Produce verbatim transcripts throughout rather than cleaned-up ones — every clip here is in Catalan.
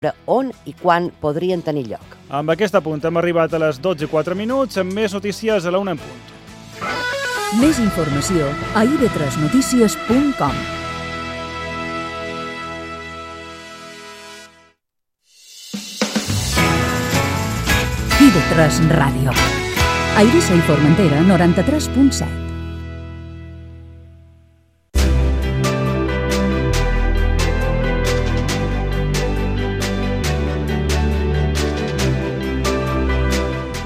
on i quan podrien tenir lloc. Amb aquest apunt hem arribat a les dotze i quatre minuts, amb més notícies a la una en punt. Més informació a i ve tres notícies punt com. i ve tres Ràdio. A Eivissa i Formentera, noranta-tres punt set.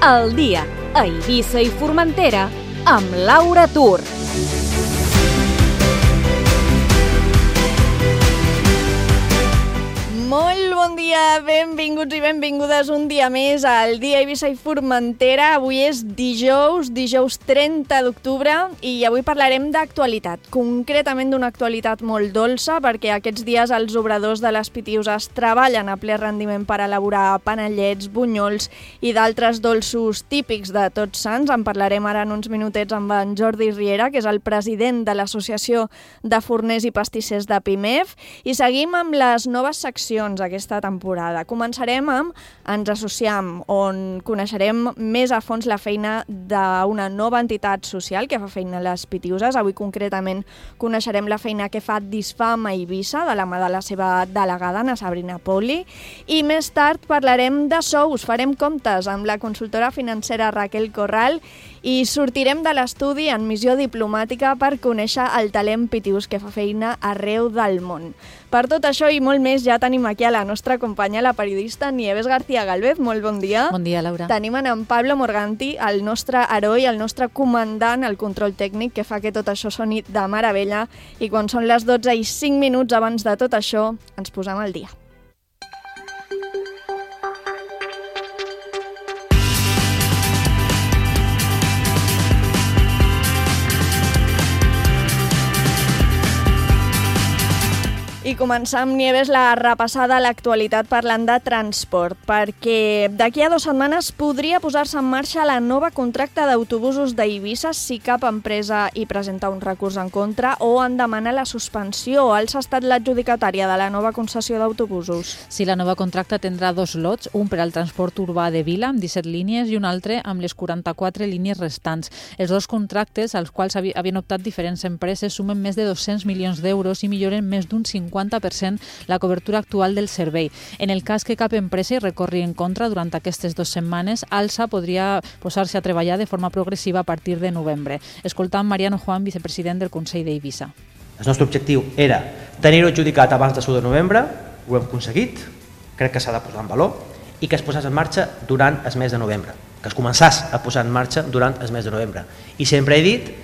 El dia a Eivissa i Formentera amb Laura Tur. Molt bon dia, benvinguts i benvingudes un dia més al dia Eivissa i Formentera. Avui és dijous, dijous trenta d'octubre i avui parlarem d'actualitat, concretament d'una actualitat molt dolça perquè aquests dies els obradors de les Pitiüses treballen a ple rendiment per elaborar panellets, bunyols i d'altres dolços típics de Tots Sants. En parlarem ara en uns minutets amb en Jordi Riera, que és el president de l'Associació de Forners i Pastissers de Pimef, i seguim amb les noves seccions aquesta temporada. Començarem amb Ens Associem, on coneixerem més a fons la feina d'una nova entitat social que fa feina a les Pitiüses. Avui concretament coneixerem la feina que fa Disfam a Eivissa, de la mà de la seva delegada, Ana Sabrina Poli, i més tard parlarem de sous, farem comptes amb la consultora financera Raquel Corral i sortirem de l'estudi en missió diplomàtica per conèixer el talent pitiús que fa feina arreu del món. Per tot això i molt més ja tenim aquí a la nostra companya, la periodista Nieves García Galvez. Molt bon dia. Bon dia, Laura. Tenim en Pablo Morganti, el nostre heroi, el nostre comandant, el control tècnic, que fa que tot això soni de meravella. I quan són les dotze i cinc minuts abans de tot això, ens posem al dia. I començar amb Nieves la repassada a l'actualitat parlant de transport, perquè d'aquí a dues setmanes podria posar-se en marxa la nova contracte d'autobusos d'Eivissa si cap empresa hi presenta un recurs en contra o en demana la suspensió. Alsa ha estat l'adjudicatària de la nova concessió d'autobusos. Sí, la nova contracte tindrà dos lots, un per al transport urbà de Vila, amb disset línies, i un altre amb les quaranta-quatre línies restants. Els dos contractes, als quals havien optat diferents empreses, sumen més de dos-cents milions d'euros i milloren més d'un cinquanta per cent la cobertura actual del servei. En el cas que cap empresa hi recorri en contra durant aquestes dues setmanes, Alsa podria posar-se a treballar de forma progressiva a partir de novembre. Escoltant Mariano Juan, vicepresident del Consell d'Eivissa. El nostre objectiu era tenir-ho adjudicat abans de l'u de novembre, ho hem aconseguit, crec que s'ha de posar en valor, i que es posés en marxa durant el mes de novembre, que es començàs a posar en marxa durant el mes de novembre. I sempre he dit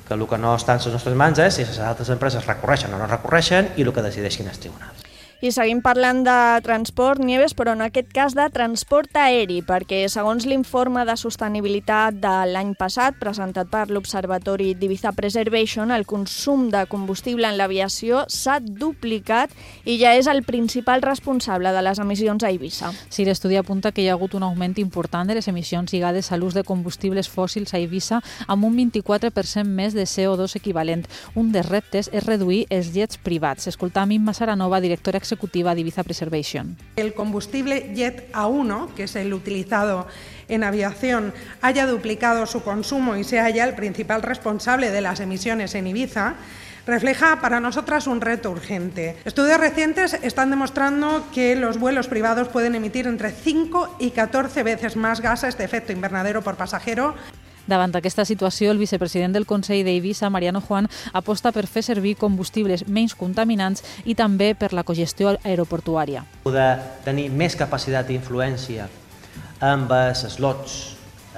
que el que no està en les nostres mans és si les altres empreses recorreixen o no recorreixen i el que decideixin els tribunals. I seguim parlant de transport, Nieves, però en aquest cas de transport aeri, perquè segons l'informe de sostenibilitat de l'any passat, presentat per l'Observatori d'Ibiza Preservation, el consum de combustible en l'aviació s'ha duplicat i ja és el principal responsable de les emissions a Eivissa. Sí, l'estudi apunta que hi ha hagut un augment important de les emissions lligades a l'ús de combustibles fòssils a Eivissa amb un vint-i-quatre per cent més de C O dos equivalent. Un dels reptes és reduir els jets privats. Escoltam Imma Saranova, directora executiva ejecutiva de Ibiza Preservation. El combustible Jet A uno, que es el utilizado en aviación, haya duplicado su consumo y sea ya el principal responsable de las emisiones en Ibiza, refleja para nosotras un reto urgente. Estudios recientes están demostrando que los vuelos privados pueden emitir entre cinco y catorce veces más gases de efecto invernadero por pasajero. Davant d'aquesta situació, el vicepresident del Consell d'Eivissa, Mariano Juan, aposta per fer servir combustibles menys contaminants i també per la cogestió aeroportuària. Poder tenir més capacitat d'influència amb els slots,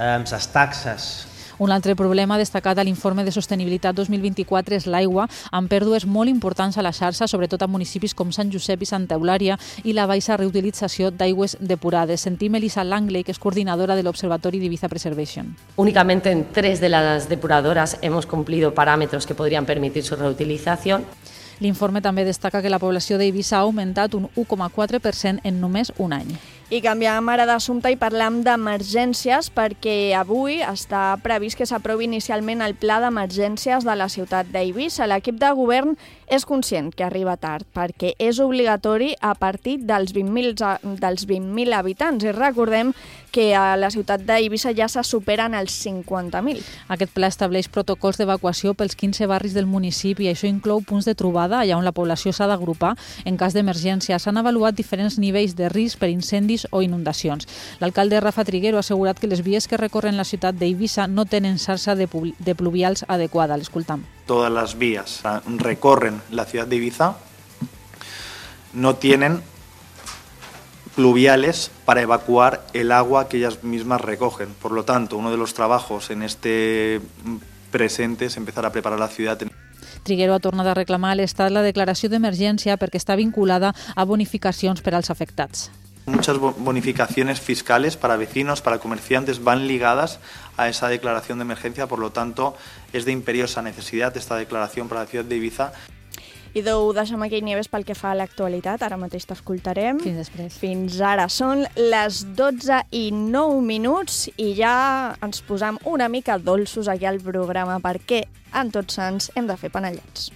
amb les taxes. Un altre problema destacat a l'informe de sostenibilitat dos mil vint-i-quatre és l'aigua, amb pèrdues molt importants a la xarxa, sobretot a municipis com Sant Josep i Santa Eulària, i la baixa reutilització d'aigües depurades. Sentim Elisa Langley, que es coordinadora del Observatorio de Ibiza Preservation. Únicamente en tres de las depuradoras hemos cumplido parámetros que podrían permitir su reutilización. L'informe també destaca que la població d'Eivissa ha augmentat un u coma quatre per cent en només un any. I canviem ara d'assumpte i parlam d'emergències perquè avui està previst que s'aprovi inicialment el pla d'emergències de la ciutat d'Eivissa. L'equip de govern és conscient que arriba tard perquè és obligatori a partir dels vint mil habitants i recordem que a la ciutat d'Eivissa ja se superen els cinquanta mil. Aquest pla estableix protocols d'evacuació pels quinze barris del municipi i això inclou punts de trobada allà on la població s'ha d'agrupar en cas d'emergència. S'han avaluat diferents nivells de risc per incendis o inundacions. L'alcalde Rafa Triguero ha assegurat que les vies que recorren la ciutat d'Eivissa no tenen xarxa de, de pluvials adequada. L'escoltam. Todas las vías recorren la ciudad de Ibiza, no tienen pluviales para evacuar el agua que ellas mismas recogen. Por lo tanto, uno de los trabajos en este presente es empezar a preparar la ciudad. Triguero ha tornat a reclamar a l'Estat la declaració d'emergència perquè està vinculada a bonificacions per als afectats. Muchas bonificaciones fiscales para vecinos, para comerciantes, van ligadas a esa declaración de emergencia, por lo tanto, es de imperiosa necesidad esta declaración para la ciudad de Ibiza. I ho deixem aquí, Nieves, pel que fa a l'actualitat. Ara mateix t'escoltarem. Fins després. Fins ara. Són les dotze i nou minuts i ja ens posam una mica dolços aquí al programa perquè en Tots Sants hem de fer panellets.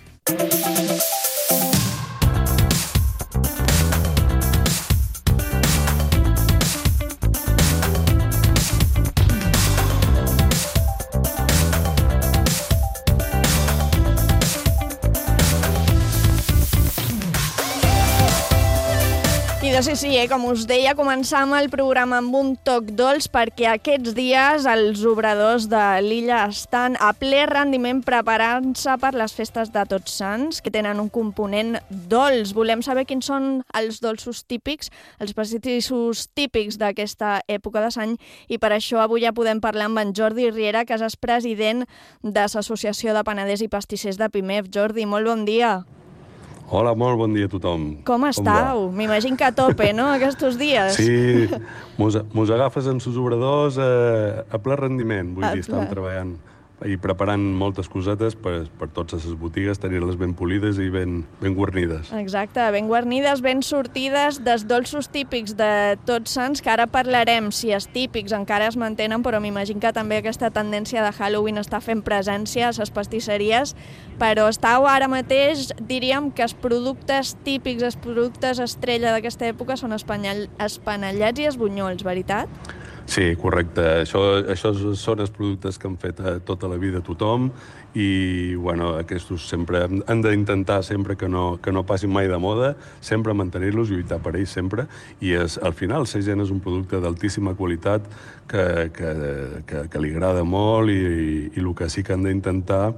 I de sí, sí, eh? Com us deia, començam el programa amb un toc dolç perquè aquests dies els obradors de l'illa estan a ple rendiment preparant-se per les festes de Tots Sants, que tenen un component dolç. Volem saber quins són els dolços típics, els pastissos típics d'aquesta època de l'any, i per això avui ja podem parlar amb en Jordi Riera, que és president de l'Associació de Panaders i Pastissers de Pimef. Jordi, molt bon dia. Hola, molt bon dia a tothom. Com estàu? M'imagino que a tope, no?, aquests dies. Sí, mos, mos agafes amb els obradors a, a ple rendiment. Vull a dir, estàvem treballant i preparant moltes cosetes per, per totes les botigues, tenir-les ben polides i ben, ben guarnides. Exacte, ben guarnides, ben sortides dels dolços típics de Tots Sants, que ara parlarem si els típics encara es mantenen, però m'imagino que també aquesta tendència de Halloween està fent presència a les pastisseries, però estàu ara mateix, diríem que els productes típics, els productes estrella d'aquesta època són espanellets i els bunyols, veritat? Sí, correcte. Això, això són els productes que han fet tota la vida tothom i bueno, aquests sempre han d'intentar sempre que no, que no passin mai de moda, sempre mantenir-los, lluitar per ells sempre, i és, al final la gent és un producte d'altíssima qualitat que, que, que, que li agrada molt i, i, i el que sí que han d'intentar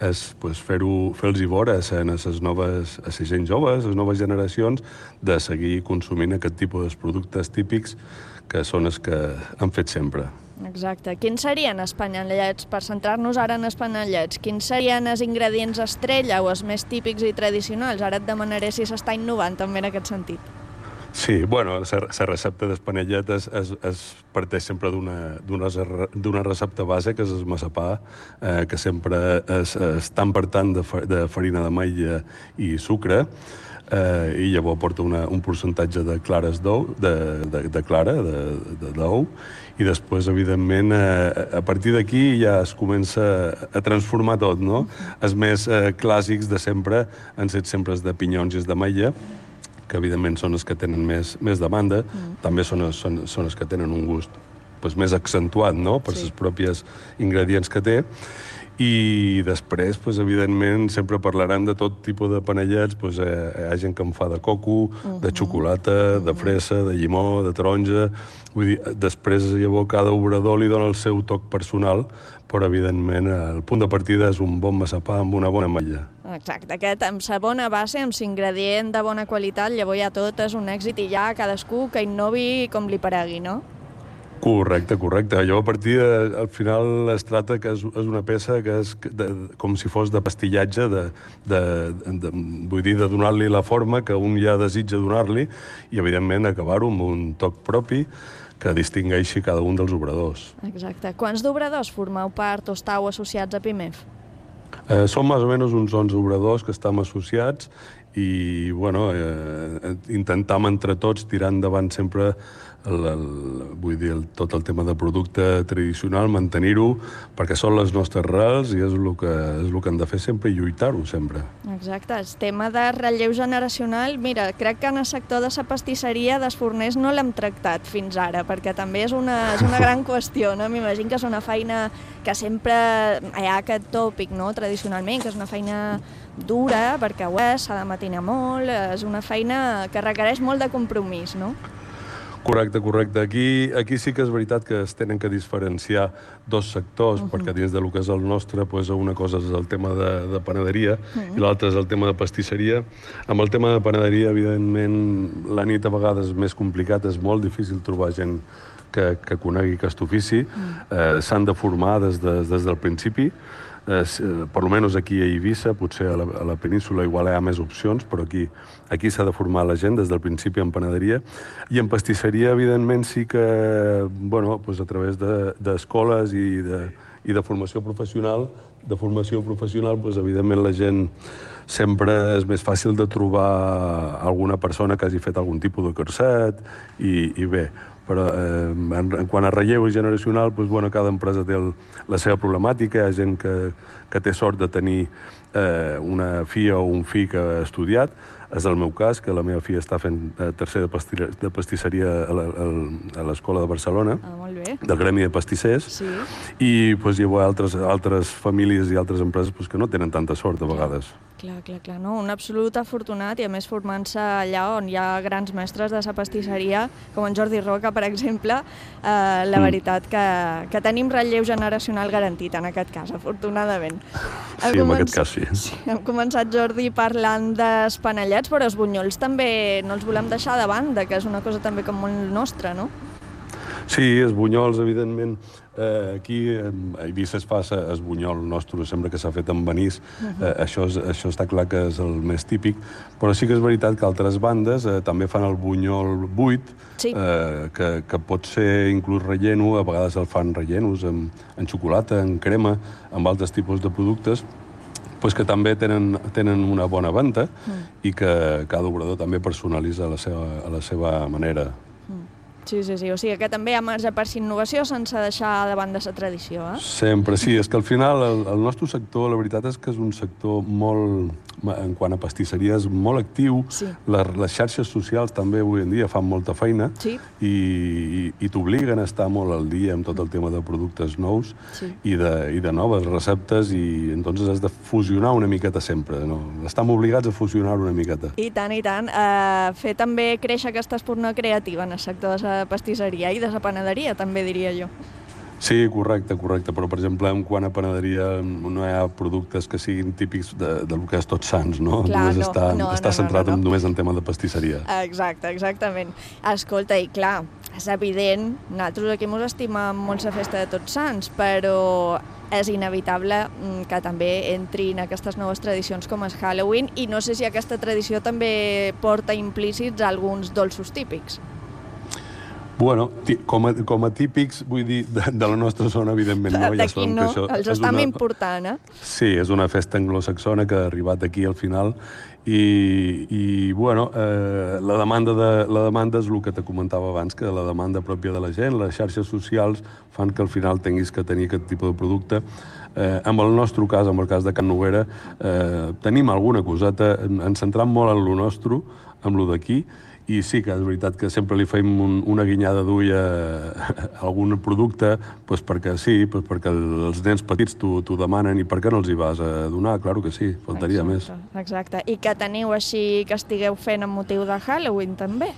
és pues, fer-ho, fer-los veure a les noves, a les gent joves, a les noves generacions, de seguir consumint aquest tipus de productes típics que són els que han fet sempre. Exacte. Quins serien els panellets? Per centrar-nos ara en els panellets, quins serien els ingredients estrella o els més típics i tradicionals? Ara et demanaré si s'està innovant també en aquest sentit. Sí, bueno, la recepta dels panellets es, es, es parteix sempre d'una recepta base, que és el massapà, eh, que sempre és, és tant per tant de, de farina d'ametlla i sucre, eh, i llavors porta una, un percentatge de clares d'ou, de, de, de clara, de, de d'ou, i després, evidentment, eh, a partir d'aquí ja es comença a transformar tot, no? Els més eh, clàssics de sempre han set sempre els de pinyons i els d'ametlla, que evidentment són els que tenen més, més demanda, mm. també són, són, són els que tenen un gust pues, més accentuat, no?, per sí. els propis ingredients que té. I després, pues, evidentment, sempre parlarem de tot tipus de panellets. Pues, eh, hi ha gent que en fa de coco, uh-huh. de xocolata, uh-huh. de fresa, de llimó, de taronja. Vull dir, després, llavors, cada obrador li dona el seu toc personal, però, evidentment, el punt de partida és un bon massapà amb una bona ametlla. Exacte, aquest amb sa bona base, amb l'ingredient de bona qualitat, llavors ja tot és un èxit i ja cadascú que innovi com li paregui, no? Correcte, correcte. Llavors, a partir de, al final es tracta que és, és una peça que és de, com si fos de pastillatge, de, de, de, vull dir, de donar-li la forma que un ja desitja donar-li i, evidentment, acabar-ho amb un toc propi que distingeixi cada un dels obradors. Exacte. Quants d'obradors formeu part o estàu associats a Pimef? Eh, som més o menys uns onze obradors que estem associats i bueno, eh, intentam entre tots tirar endavant sempre el, el, vull dir, el, tot el tema de producte tradicional, mantenir-ho, perquè són les nostres rels i és el que, és el que hem de fer sempre i lluitar-ho sempre. Exacte, el tema de relleu generacional, mira, crec que en el sector de la pastisseria dels forners no l'hem tractat fins ara, perquè també és una, és una gran qüestió, no? M'imagino que és una feina que sempre hi ha aquest tòpic, no?, tradicionalment, que és una feina dura, perquè ho és, s'ha de matinar molt, és una feina que requereix molt de compromís, no? Correcte, correcte. Aquí, aquí sí que és veritat que es tenen que diferenciar dos sectors, uh -huh. perquè dins del que és el nostre, pues, una cosa és el tema de, de panaderia uh -huh. i l'altra és el tema de pastisseria. Amb el tema de panaderia, evidentment, la nit a vegades és més complicat, és molt difícil trobar gent que, que conegui aquest ofici. Uh -huh. eh, S'han de formar des, de, des del principi. Eh, per almenys aquí a Eivissa, potser a la, a la península igual hi ha més opcions, però aquí aquí s'ha de formar la gent des del principi en panaderia. I en pastisseria, evidentment, sí que, bueno, pues a través d'escoles de, i, de, i de formació professional, de formació professional, pues, evidentment la gent sempre és més fàcil de trobar alguna persona que hagi fet algun tipus de curset i, i bé, però eh, en, en quant a relleu generacional, doncs, bueno, cada empresa té el, la seva problemàtica. Hi ha gent que, que té sort de tenir eh, una filla o un fill que ha estudiat. És el meu cas, que la meva filla està fent eh, tercer de, pastir, de pastisseria a l'Escola de Barcelona, ah, molt bé. Del Gremi de Pastissers, sí. I doncs, hi ha altres, altres famílies i altres empreses doncs, que no tenen tanta sort, a vegades. Clar, clar, clar, no? Un absolut afortunat i, a més, formant-se allà on hi ha grans mestres de la pastisseria, com en Jordi Roca, per exemple, eh, la mm. veritat que, que tenim relleu generacional garantit, en aquest cas, afortunadament. Sí, hem en aquest cas sí. sí. Hem començat, Jordi, parlant d'espanellets, però els bunyols també no els volem deixar de banda, que és una cosa també com molt nostra, no? Sí, els bunyols, evidentment. Eh, aquí a Eivissa es fa el bunyol nostre, sempre que s'ha fet amb anís. Uh-huh. eh, això, és, això està clar que és el més típic, però sí que és veritat que altres bandes eh, també fan el bunyol buit, sí. eh, que, que pot ser inclús relleno, a vegades el fan rellenos amb, en xocolata, en crema, amb altres tipus de productes, pues que també tenen, tenen una bona venda mm. i que cada obrador també personalitza a la seva, a la seva manera. Sí, sí, sí. O sigui que també hi ha marge per innovació sense deixar de banda la tradició, eh? Sempre, sí. És que al final el, el nostre sector, la veritat és que és un sector molt, en quant a pastisseria, és molt actiu. Sí. Les, les xarxes socials també avui en dia fan molta feina sí. i, i, i t'obliguen a estar molt al dia amb tot el tema de productes nous sí. i, de, i de noves receptes i entonces has de fusionar una miqueta sempre, no? Estem obligats a fusionar una miqueta. I tant, i tant. Uh, fer també créixer aquesta espurna creativa en el sector de la pastisseria i de la panaderia, també diria jo. Sí, correcte, correcte, però per exemple, en quant a panaderia no hi ha productes que siguin típics de, del que és Tots Sants, no? Clar, només no, està, no, està no, centrat no, no, no. només en tema de pastisseria. Exacte, exactament. Escolta, i clar, és evident, nosaltres aquí ens estimem molt la festa de Tots Sants, però és inevitable que també entrin aquestes noves tradicions com és Halloween i no sé si aquesta tradició també porta implícits alguns dolços típics. Bueno, com a, com a típics, vull dir, de, de la nostra zona, evidentment, no. Ja d'aquí no, això els estem una... important, eh? Sí, és una festa anglosaxona que ha arribat aquí al final i, i bueno, eh, la, demanda de, la demanda és el que te comentava abans, que la demanda pròpia de la gent, les xarxes socials fan que al final tinguis que tenir aquest tipus de producte. Eh, en el nostre cas, en el cas de Can Noguera, eh, tenim alguna coseta, ens centram molt en lo nostre, en lo d'aquí, i sí que és veritat que sempre li fem un, una guinyada d'ull a, a algun producte, doncs perquè sí, doncs perquè els nens petits t'ho demanen i per què no els hi vas a donar? Claro que sí, faltaria exacte, més. Exacte. I que teniu així que estigueu fent amb motiu de Halloween també?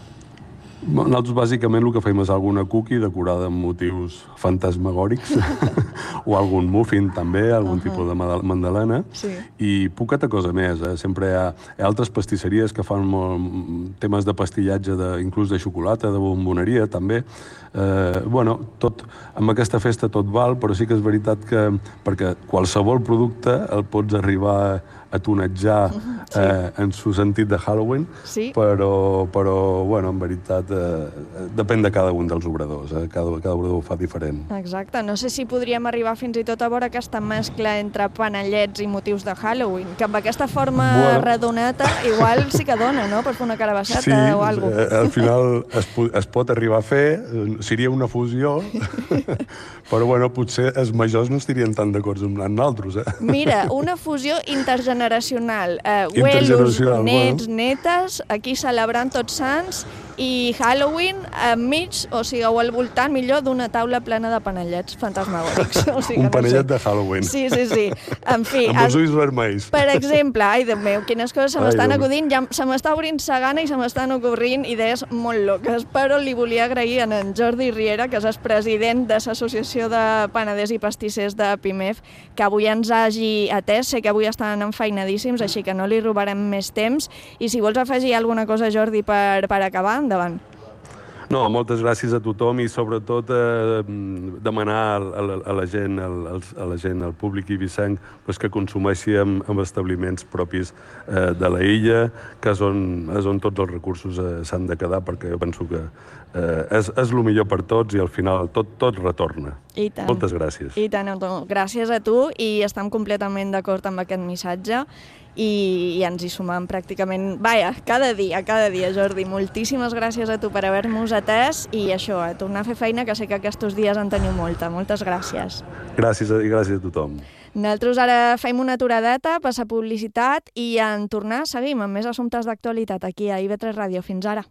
Nosaltres bàsicament el que fem és alguna cookie decorada amb motius fantasmagòrics o algun muffin també, algun uh-huh. tipus de mandalena sí. i poqueta cosa més. Eh? Sempre hi ha, hi ha altres pastisseries que fan molt, temes de pastillatge, de, inclús de xocolata, de bomboneria també. Eh, bueno, tot, amb aquesta festa tot val, però sí que és veritat que perquè qualsevol producte el pots arribar a tonejar Sí. eh, en su sentit de Halloween, Sí. però, però bueno, en veritat, eh, depèn de cada un dels obradors, eh? cada, cada obrador ho fa diferent. Exacte, no sé si podríem arribar fins i tot a veure aquesta mescla entre panellets i motius de Halloween, que amb aquesta forma Bueno. redoneta igual sí que dona, no?, per fer una carabasseta Sí, o alguna eh, cosa. al final es, es pot arribar a fer, eh, seria una fusió, però bueno, potser els majors no estarien tan d'acord amb nosaltres, eh? Mira, una fusió intergeneracional. Eh, Intergeneracional, Abuelos, nets, bueno. netes, aquí celebrant Tots Sants i Halloween enmig, o sigui, o al voltant, millor, d'una taula plena de panellets fantasmagòrics. O sigui, Un no sé. panellet de Halloween. Sí, sí, sí. En fi, Amb els es- ulls vermells. per exemple, ai, Déu meu, quines coses se Ai, m'estan Déu meu. acudint, ja se m'està obrint sa gana i se m'estan ocorrint idees molt loques, però li volia agrair a en Jordi Riera, que és el president de l'Associació de Panaders i Pastissers de Pimef, que avui ens hagi atès. Sé que avui estan enfeinadíssims, així que no li robarem més temps. I si vols afegir alguna cosa, Jordi, per, per acabar, endavant. No, moltes gràcies a tothom i sobretot eh, demanar a la, a la gent, al, a la gent, al públic ibicenc, pues, que consumeixi amb, amb establiments propis eh, de la illa, que és on, és on tots els recursos eh, s'han de quedar, perquè jo penso que eh, és, és el millor per tots i al final tot, tot retorna. I tant. Moltes gràcies. I tant, no, gràcies a tu i estem completament d'acord amb aquest missatge i, i ens hi sumam pràcticament, vaja, cada dia, cada dia, Jordi. Moltíssimes gràcies a tu per haver-nos atès i això, a tornar a fer feina, que sé que aquests dies en teniu molta. Moltes gràcies. Gràcies a, i gràcies a tothom. Nosaltres ara fem una aturadeta, passa publicitat i en tornar seguim amb més assumptes d'actualitat aquí a I V tres Ràdio. Fins ara.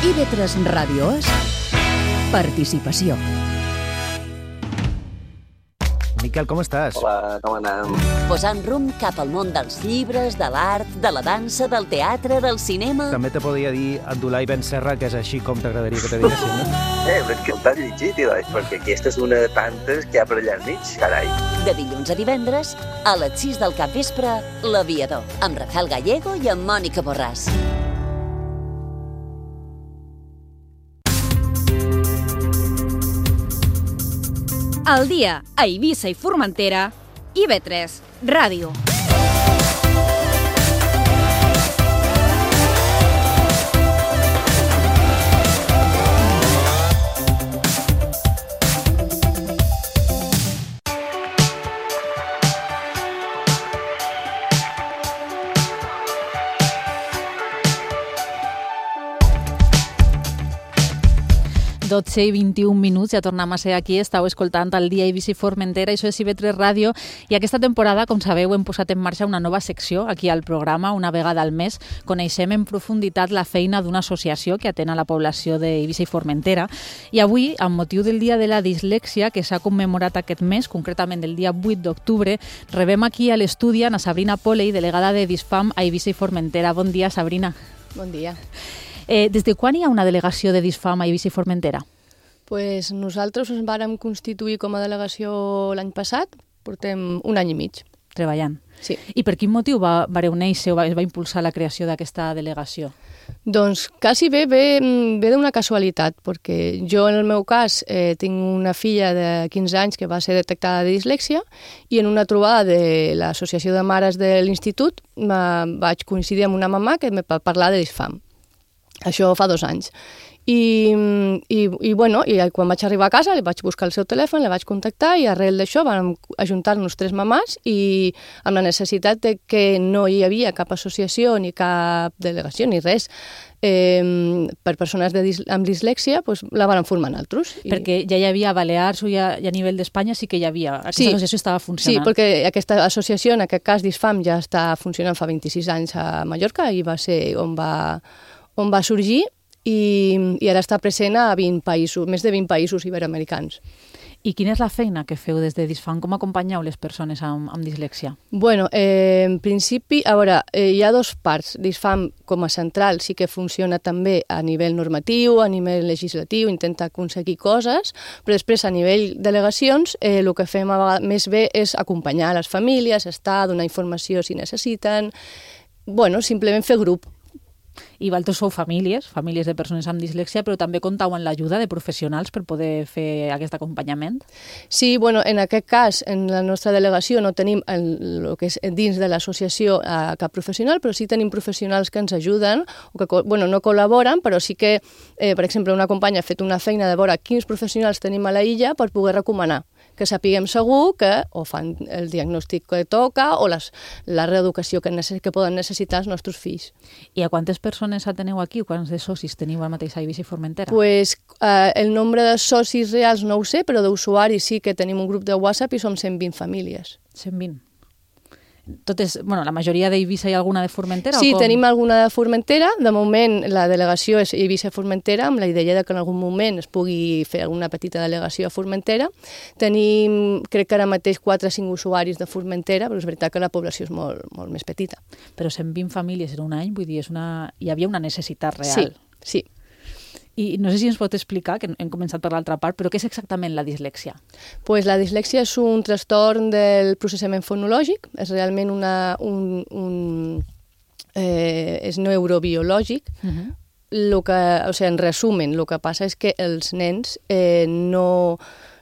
I V tres Ràdio és participació. Miquel, com estàs? Hola, com anem? Posant rumb cap al món dels llibres, de l'art, de la dansa, del teatre, del cinema... També te podria dir Abdullah Ben Serra, que és així com t'agradaria que te diguessin, no? Eh, però és que t'has llegit, Eloi, perquè aquesta és una de tantes que hi ha per allà al mig, carai. De dilluns a divendres, a les sis del capvespre, L'Aviador, amb Rafael Gallego i amb Mònica Borràs. Al dia a Eivissa i Formentera, I V tres Ràdio. dotze i vint-i-un minuts, ja tornem a ser aquí, estàu escoltant el dia Eivissa i Formentera, això és I V tres Ràdio, i aquesta temporada, com sabeu, hem posat en marxa una nova secció aquí al programa, una vegada al mes, coneixem en profunditat la feina d'una associació que atén a la població d'Eivissa i Formentera, i avui, amb motiu del Dia de la Dislèxia, que s'ha commemorat aquest mes, concretament el dia vuit d'octubre, rebem aquí a l'estudi a Sabrina Poley, delegada de Disfam a Eivissa i Formentera. Bon dia, Sabrina. Bon dia. Eh, des de quan hi ha una delegació de Disfam a Eivissa i Formentera? Pues nosaltres ens vàrem constituir com a delegació l'any passat, portem un any i mig. Treballant. Sí. I per quin motiu va, vareu néixer o va, es va impulsar la creació d'aquesta delegació? Doncs quasi bé ve, ve d'una casualitat, perquè jo en el meu cas eh, tinc una filla de quinze anys que va ser detectada de dislèxia i en una trobada de l'Associació de Mares de l'Institut vaig coincidir amb una mamà que em va parlar de Disfam. Això fa dos anys. I, i, i, bueno, i quan vaig arribar a casa li vaig buscar el seu telèfon, la vaig contactar i arrel d'això vam ajuntar-nos tres mamàs i amb la necessitat de que no hi havia cap associació ni cap delegació ni res eh, per persones de dis amb dislèxia, pues, la van formar nosaltres. I... Perquè ja hi havia a Balears o ja, ja a nivell d'Espanya sí que hi havia, aquesta sí, associació estava funcionant. Sí, perquè aquesta associació, en aquest cas Disfam, ja està funcionant fa vint-i-sis anys a Mallorca i va ser on va, on va sorgir i, i ara està present a vint països, més de vint països iberoamericans. I quina és la feina que feu des de Disfam? Com acompanyeu les persones amb, amb dislèxia? Bueno, eh, en principi, a veure, eh, hi ha dos parts. Disfam com a central sí que funciona també a nivell normatiu, a nivell legislatiu, intenta aconseguir coses, però després a nivell delegacions eh, el que fem a vegades més bé és acompanyar les famílies, estar, donar informació si necessiten, bueno, simplement fer grup. I vosaltres sou famílies, famílies de persones amb dislèxia, però també comptau amb l'ajuda de professionals per poder fer aquest acompanyament? Sí, bueno, en aquest cas, en la nostra delegació no tenim el, el que és dins de l'associació eh, cap professional, però sí tenim professionals que ens ajuden, o que bueno, no col·laboren, però sí que, eh, per exemple, una companya ha fet una feina de veure quins professionals tenim a la illa per poder recomanar, que sapiguem segur que o fan el diagnòstic que toca o les, la reeducació que, necess, que poden necessitar els nostres fills. I a quantes persones ateneu aquí o quants de socis teniu ara mateix a Eivissa i Formentera? Pues, eh, el nombre de socis reals no ho sé, però d'usuaris sí que tenim un grup de WhatsApp i som cent vint famílies. cent vint? Totes, bueno, la majoria d'Eivissa i alguna de Formentera? Sí, o com? tenim alguna de Formentera. De moment, la delegació és Eivissa i Formentera, amb la idea de que en algun moment es pugui fer alguna petita delegació a Formentera. Tenim, crec que ara mateix, quatre o cinc usuaris de Formentera, però és veritat que la població és molt, molt més petita. Però cent vint famílies en un any, vull dir, és una... hi havia una necessitat real. Sí, sí. I no sé si ens pot explicar, que hem començat per l'altra part, però què és exactament la dislèxia? Pues la dislèxia és un trastorn del processament fonològic, és realment una, un, un, eh, és neurobiològic. Uh-huh. Lo que, o sigui, en resumen, el que passa és que els nens eh, no,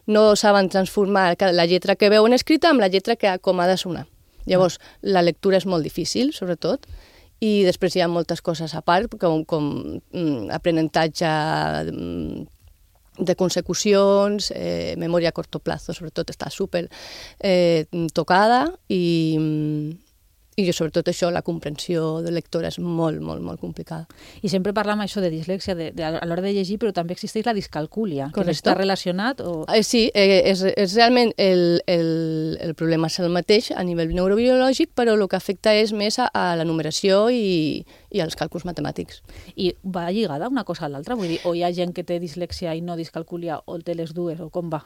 no saben transformar la lletra que veuen escrita amb la lletra que com ha de sonar. Llavors, uh-huh. la lectura és molt difícil, sobretot, i després hi ha moltes coses a part, com, com mm, aprenentatge mm, de consecucions, eh, memòria a corto plazo, sobretot està super eh, tocada, i, i sobretot això, la comprensió de lectora és molt, molt, molt complicada. I sempre parlam això de dislèxia de, de, a l'hora de llegir, però també existeix la discalcúlia, que no està relacionat? O... Eh, sí, eh, és, és realment el, el, el problema és el mateix a nivell neurobiològic, però el que afecta és més a, a la numeració i, i als càlculs matemàtics. I va lligada una cosa a l'altra? Vull dir, o hi ha gent que té dislèxia i no discalcúlia, o té les dues, o com va?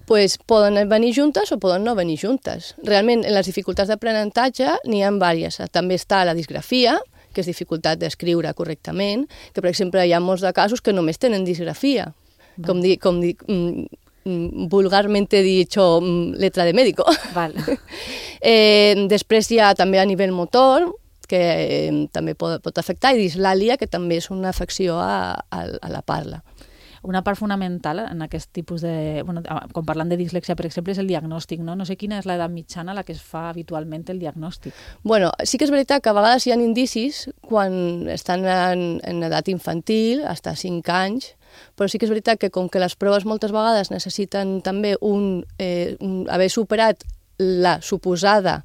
Pues poden venir juntes o poden no venir juntes. Realment, en les dificultats d'aprenentatge n'hi ha diverses. També està la disgrafia, que és dificultat d'escriure correctament, que, per exemple, hi ha molts de casos que només tenen disgrafia. Va. Com dir, com dir mm, vulgarmente dicho, mm, letra de médico. Val. eh, després hi ha també a nivell motor, que eh, també pot, pot afectar, i dislàlia, que també és una afecció a, a, a la parla. Una part fonamental en aquest tipus de... Bueno, quan parlant de dislèxia, per exemple, és el diagnòstic, no? No sé quina és l'edat mitjana a la que es fa habitualment el diagnòstic. Bueno, sí que és veritat que a vegades hi ha indicis quan estan en, en edat infantil, fins a cinc anys, però sí que és veritat que com que les proves moltes vegades necessiten també un, eh, un, haver superat la suposada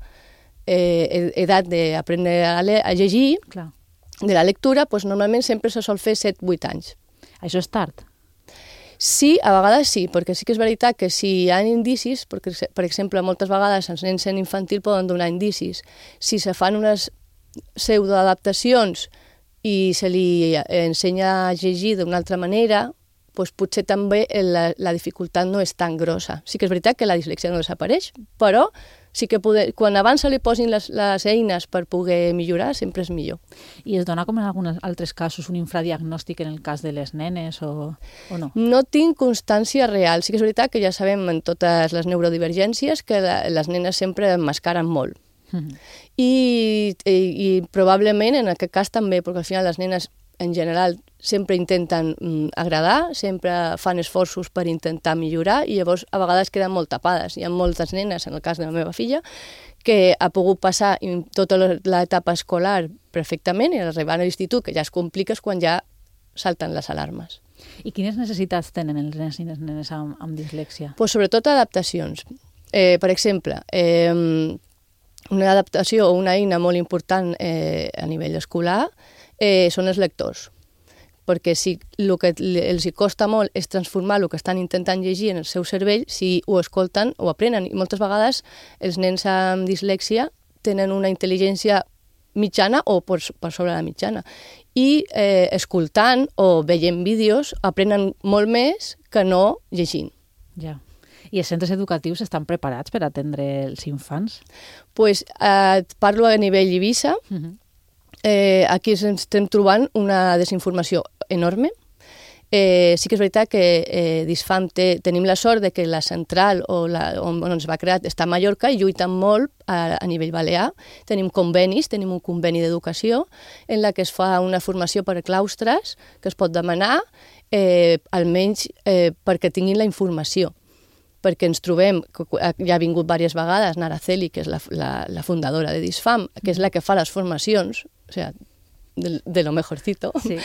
eh, edat d'aprendre a, a llegir, clar, de la lectura, doncs normalment sempre se sol fer set vuit anys. Això és tard? Sí, a vegades sí, perquè sí que és veritat que si hi ha indicis, perquè, per exemple, moltes vegades els nens en infantil poden donar indicis, si se fan unes pseudoadaptacions i se li ensenya a llegir d'una altra manera, doncs potser també la, la dificultat no és tan grossa. Sí que és veritat que la dislèxia no desapareix, però sí que poder, quan abans se li posin les, les eines per poder millorar, sempre és millor. I es dona, com en alguns altres casos, un infradiagnòstic en el cas de les nenes o, o no? No tinc constància real. Sí que és veritat que ja sabem en totes les neurodivergències que la, les nenes sempre emmascaren molt. Mm-hmm. I, i, I probablement en aquest cas també, perquè al final les nenes en general sempre intenten mm, agradar, sempre fan esforços per intentar millorar i llavors a vegades queden molt tapades. Hi ha moltes nenes, en el cas de la meva filla, que ha pogut passar tota l'etapa escolar perfectament i arribar a l'institut, que ja es complica, és quan ja salten les alarmes. I quines necessitats tenen els nens i les nenes amb, amb dislèxia? Pues sobretot adaptacions. Eh, per exemple, eh, una adaptació o una eina molt important eh, a nivell escolar eh, són els lectors, perquè si el que els costa molt és transformar el que estan intentant llegir en el seu cervell, si ho escolten o aprenen. I moltes vegades els nens amb dislèxia tenen una intel·ligència mitjana o per, per sobre la mitjana. I eh, escoltant o veient vídeos aprenen molt més que no llegint. Ja. I els centres educatius estan preparats per atendre els infants? Pues, eh, parlo a nivell Eivissa. Uh-huh. Eh, aquí ens estem trobant una desinformació enorme. Eh, sí que és veritat que eh, Disfam té, tenim la sort de que la central o la, on, on es va crear està a Mallorca i lluiten molt a, a nivell balear. Tenim convenis, tenim un conveni d'educació en la que es fa una formació per a claustres que es pot demanar eh, almenys eh, perquè tinguin la informació. Perquè ens trobem, ja ha vingut diverses vegades Naraceli, que és la, la, la fundadora de Disfam, que és la que fa les formacions, o sigui, de, de lo mejorcito, sí.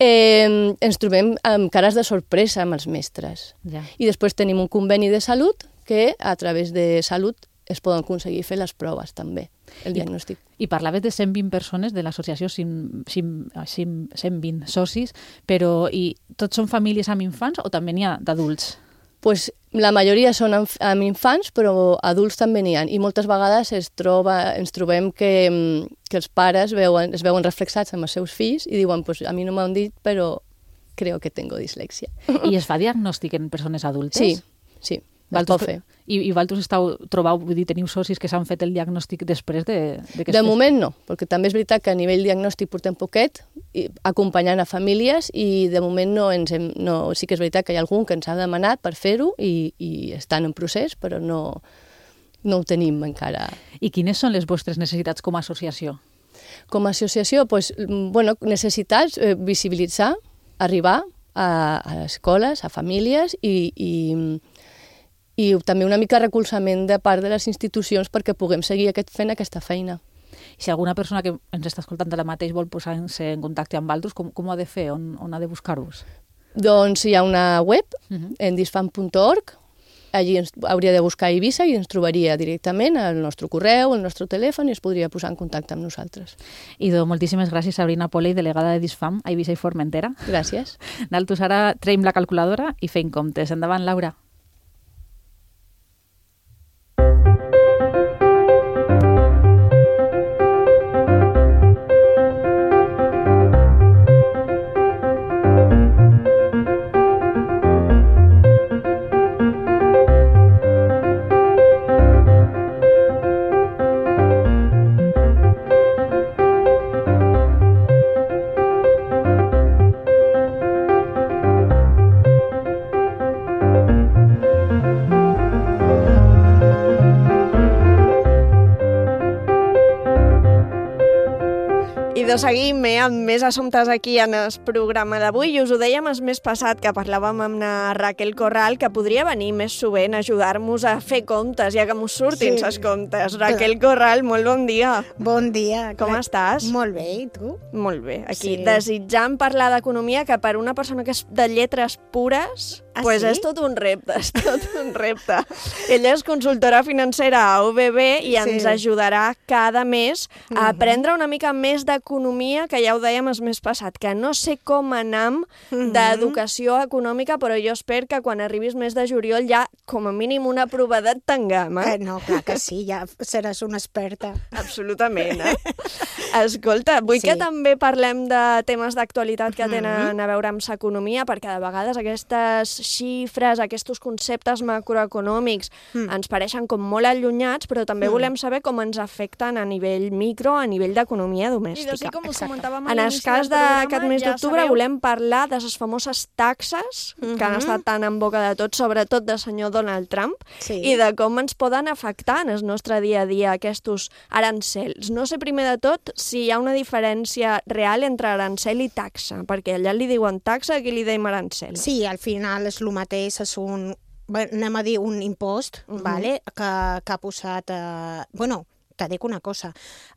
eh, ens trobem amb cares de sorpresa amb els mestres. Ja. I després tenim un conveni de salut que a través de salut es poden aconseguir fer les proves també, el diagnòstic. I, i parlaves de cent vint persones de l'associació, cent vint socis, però i tots són famílies amb infants o també n'hi ha d'adults? Pues la majoria són amb, amb infants, però adults també n'hi ha. I moltes vegades es troba, ens trobem que, que els pares veuen, es veuen reflexats amb els seus fills i diuen, pues, a mi no m'han dit, però creo que tengo dislexia. I es fa diagnòstic en persones adultes? Sí, sí. Valtros, I, I vosaltres estàu trobau, vull dir, teniu socis que s'han fet el diagnòstic després de... De, de moment no, perquè també és veritat que a nivell diagnòstic portem poquet, i, acompanyant a famílies, i de moment no ens hem... No, sí que és veritat que hi ha algun que ens ha demanat per fer-ho i, i estan en procés, però no, no ho tenim encara. I quines són les vostres necessitats com a associació? Com a associació, pues, bueno, necessitats, eh, visibilitzar, arribar a, a escoles, a famílies i... i i també una mica recolzament de part de les institucions perquè puguem seguir aquest, fent aquesta feina. I si alguna persona que ens està escoltant ara mateix vol posar-se en contacte amb altres, com, com ho ha de fer? On, on ha de buscar-vos? Doncs hi ha una web, uh-huh. en disfam punt org, allí ens hauria de buscar Eivissa i ens trobaria directament al nostre correu, al nostre telèfon i es podria posar en contacte amb nosaltres. Idò, moltíssimes gràcies, Sabrina Poley, delegada de Disfam a Eivissa i Formentera. Gràcies. D'altres ara traiem la calculadora i fem comptes. Endavant, Laura. I de seguim eh, amb més assumptes aquí en el programa d'avui. I us ho dèiem el mes passat que parlàvem amb la Raquel Corral que podria venir més sovint a ajudar-nos a fer comptes, ja que mos surtin sí. els comptes. Raquel Corral, molt bon dia. Bon dia. Com clar. estàs? Molt bé, i tu? Molt bé. Aquí Sí. desitjant parlar d'economia, que per una persona que és de lletres pures, Ah, pues sí? és tot un repte, és tot un repte. Ella és consultora financera a U B B i ens Sí. ajudarà cada mes a Mhm. aprendre una mica més d'economia, que ja ho dèiem el mes passat, que no sé com anam Mhm. d'educació econòmica, però jo espero que quan arribis mes de juliol ja com a mínim una provadet tinguem, eh? Eh, no, clar que sí, ja seràs una experta. Absolutament, eh? Escolta, vull Sí. que també parlem de temes d'actualitat que tenen a veure amb l'economia, perquè de vegades aquestes xifres, aquests conceptes macroeconòmics Mm. ens pareixen com molt allunyats, però també Mm. volem saber com ens afecten a nivell micro, a nivell d'economia domèstica. I sí, com us comentàvem a En el l'inici cas del programa, d'aquest mes ja d'octubre sabeu- volem parlar de les famoses taxes que han Mhm. estat tan en boca de tots, sobretot del senyor Donald Trump, Sí. i de com ens poden afectar en el nostre dia a dia aquests arancels. No sé primer de tot si hi ha una diferència real entre arancel i taxa, perquè allà li diuen taxa, aquí li deim arancel. Sí, al final és el mateix, és un, bé, anem a dir un impost, Mhm. vale, que, que ha posat... Eh, bueno, te dic una cosa,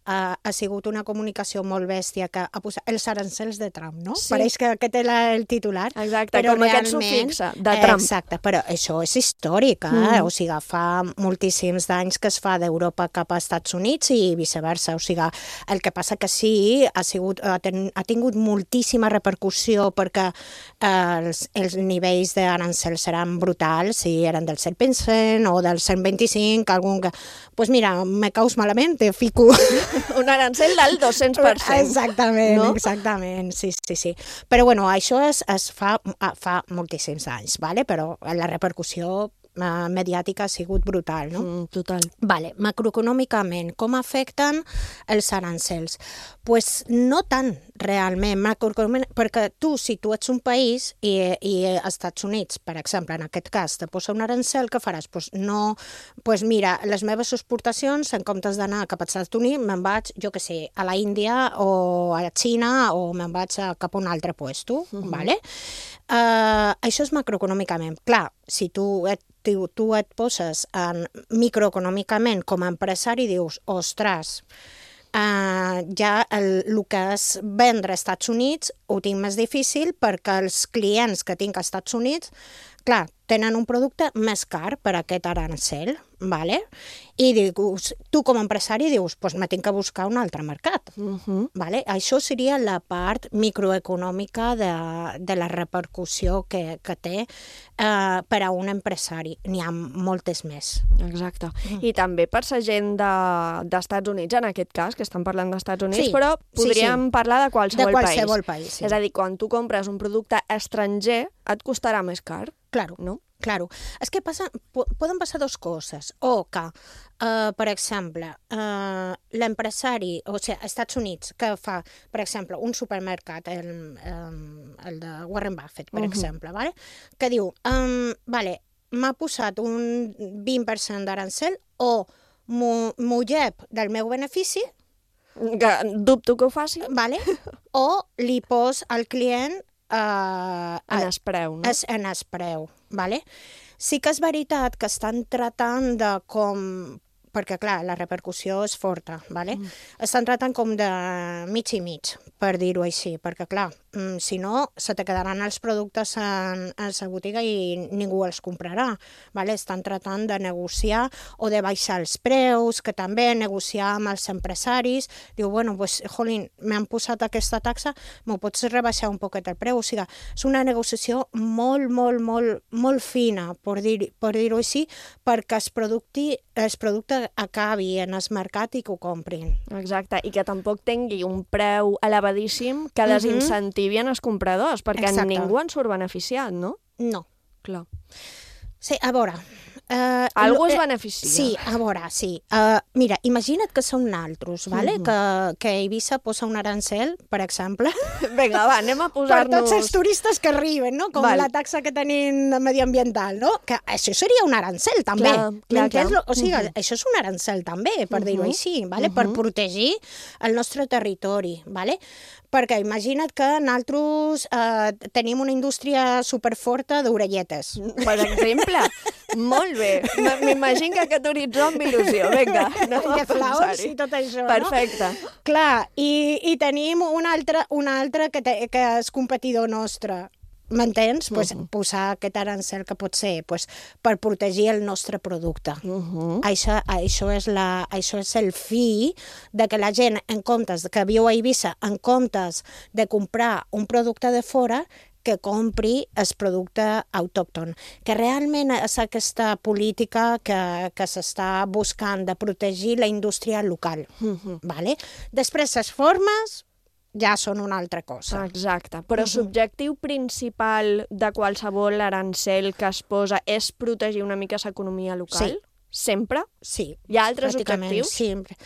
uh, ha sigut una comunicació molt bèstia que ha posat els arancels de Trump, no? Sí. Pareix que aquest era el titular. Exacte, però com aquest realment- sufixe, de Trump. Exacte, però això és històric, eh? Mm. O sigui, fa moltíssims d'anys que es fa d'Europa cap a Estats Units i viceversa. O sigui, el que passa que sí, ha, sigut, ha, ten, ha tingut moltíssima repercussió perquè eh, els, els nivells d'arancels seran brutals, si eren del set per cent o del cent vint-i-cinc, algun que... Doncs pues mira, me caus malament, te fico... Un arancel del dos-cents per cent. Exactament, no? exactament, sí, sí, sí. Però bueno, això es, es fa, fa moltíssims anys, vale? Però la repercussió eh, mediàtica ha sigut brutal, no? Mm, total. Vale, macroeconòmicament, com afecten els arancels? Pues no tant, realment, macroeconòmicament, perquè tu, si tu ets un país i, i als Estats Units, per exemple, en aquest cas, te posa un arancel, què faràs? Pues no, pues mira, les meves exportacions, en comptes d'anar cap als Estats Units, me'n vaig, jo què sé, a la Índia o a la Xina o me'n vaig a, cap a un altre puesto, uh-huh. Vale? Uh, això és macroeconòmicament. Clar, si tu et, tu, tu et poses en microeconòmicament com a empresari, dius, ostres, Uh, ja el, el que és vendre als Estats Units ho tinc més difícil perquè els clients que tinc als Estats Units, clar, tenen un producte més car per aquest arancel, vale? I dius, tu com a empresari dius, pues me tinc que buscar un altre mercat. Uh-huh. Vale? Això seria la part microeconòmica de, de la repercussió que, que té uh, per a un empresari. N'hi ha moltes més. Exacte. Uh-huh. I també per la gent de, d'Estats Units, en aquest cas, que estan parlant d'Estats Units, sí, però podríem sí, sí. parlar de qualsevol, de qualsevol país. país sí. És a dir, quan tu compres un producte estranger, et costarà més car. Claro, no? Claro. És que passa, poden passar dues coses. O que, uh, per exemple, uh, l'empresari, o sigui, als Estats Units, que fa, per exemple, un supermercat, el, um, el de Warren Buffett, per uh-huh. exemple, vale? Que diu, um, vale, m'ha posat un vint per cent d'arancel o m'ho llep del meu benefici, que dubto que ho faci, vale? O li pos al client Uh, en es preu, no? Es, en es preu, vale? Sí que és veritat que estan tratant de com... perquè, clar, la repercussió és forta, vale? Mm. Estan tratant com de mig i mig, per dir-ho així, perquè, clar, si no, se te quedaran els productes en, en la botiga i ningú els comprarà, vale? Estan tratant de negociar o de baixar els preus, que també negociar amb els empresaris, diu, bueno, pues, jolín, m'han posat aquesta taxa, m'ho pots rebaixar un poquet el preu, o sigui, és una negociació molt, molt, molt, molt fina, per dir, per dir-ho així, perquè es producti, es producte acabi en el mercat i que ho comprin. Exacte, i que tampoc tingui un preu elevadíssim que desincentivi en els compradors, perquè Exacte. Ningú en surt beneficiat, no? No. Clar. Sí, a veure... Uh, Algú es beneficia. Sí, a veure, sí. Uh, mira, imagina't que són naltros, vale? Uh-huh. que, que Eivissa posa un arancel, per exemple. Vinga, va, anem a posar-nos... Per tots els turistes que arriben, no? Com Val. La taxa que tenim mediambiental, no? Que això seria un arancel, també. Clar, clar, clar. O sigui, uh-huh. això és un arancel, també, per uh-huh. dir-ho així, vale? Uh-huh. Per protegir el nostre territori, vale? Perquè imagina't que nosaltres eh, tenim una indústria superforta d'orelletes. Per exemple, molt bé. M'imagino que aquest horitzó amb il·lusió. Vinga, anem a de flaus i tot això, Perfecte. No? Clar, i, i tenim un altre, un altre que, te, que és competidor nostre. M'entens? Uh-huh. Pues, posar aquest arancel que pot ser pues, per protegir el nostre producte. Uh-huh. Això, això, és la, això és el fi de que la gent, en comptes que viu a Eivissa, en comptes de comprar un producte de fora, que compri el producte autòcton. Que realment és aquesta política que, que s'està buscant de protegir la indústria local. Uh-huh. Vale? Després, les formes... ja són una altra cosa. Exacte. Però uh-huh. l'objectiu principal de qualsevol arancel que es posa és protegir una mica l'economia local? Sí. Sempre? Sí. Hi ha altres objectius? Sempre.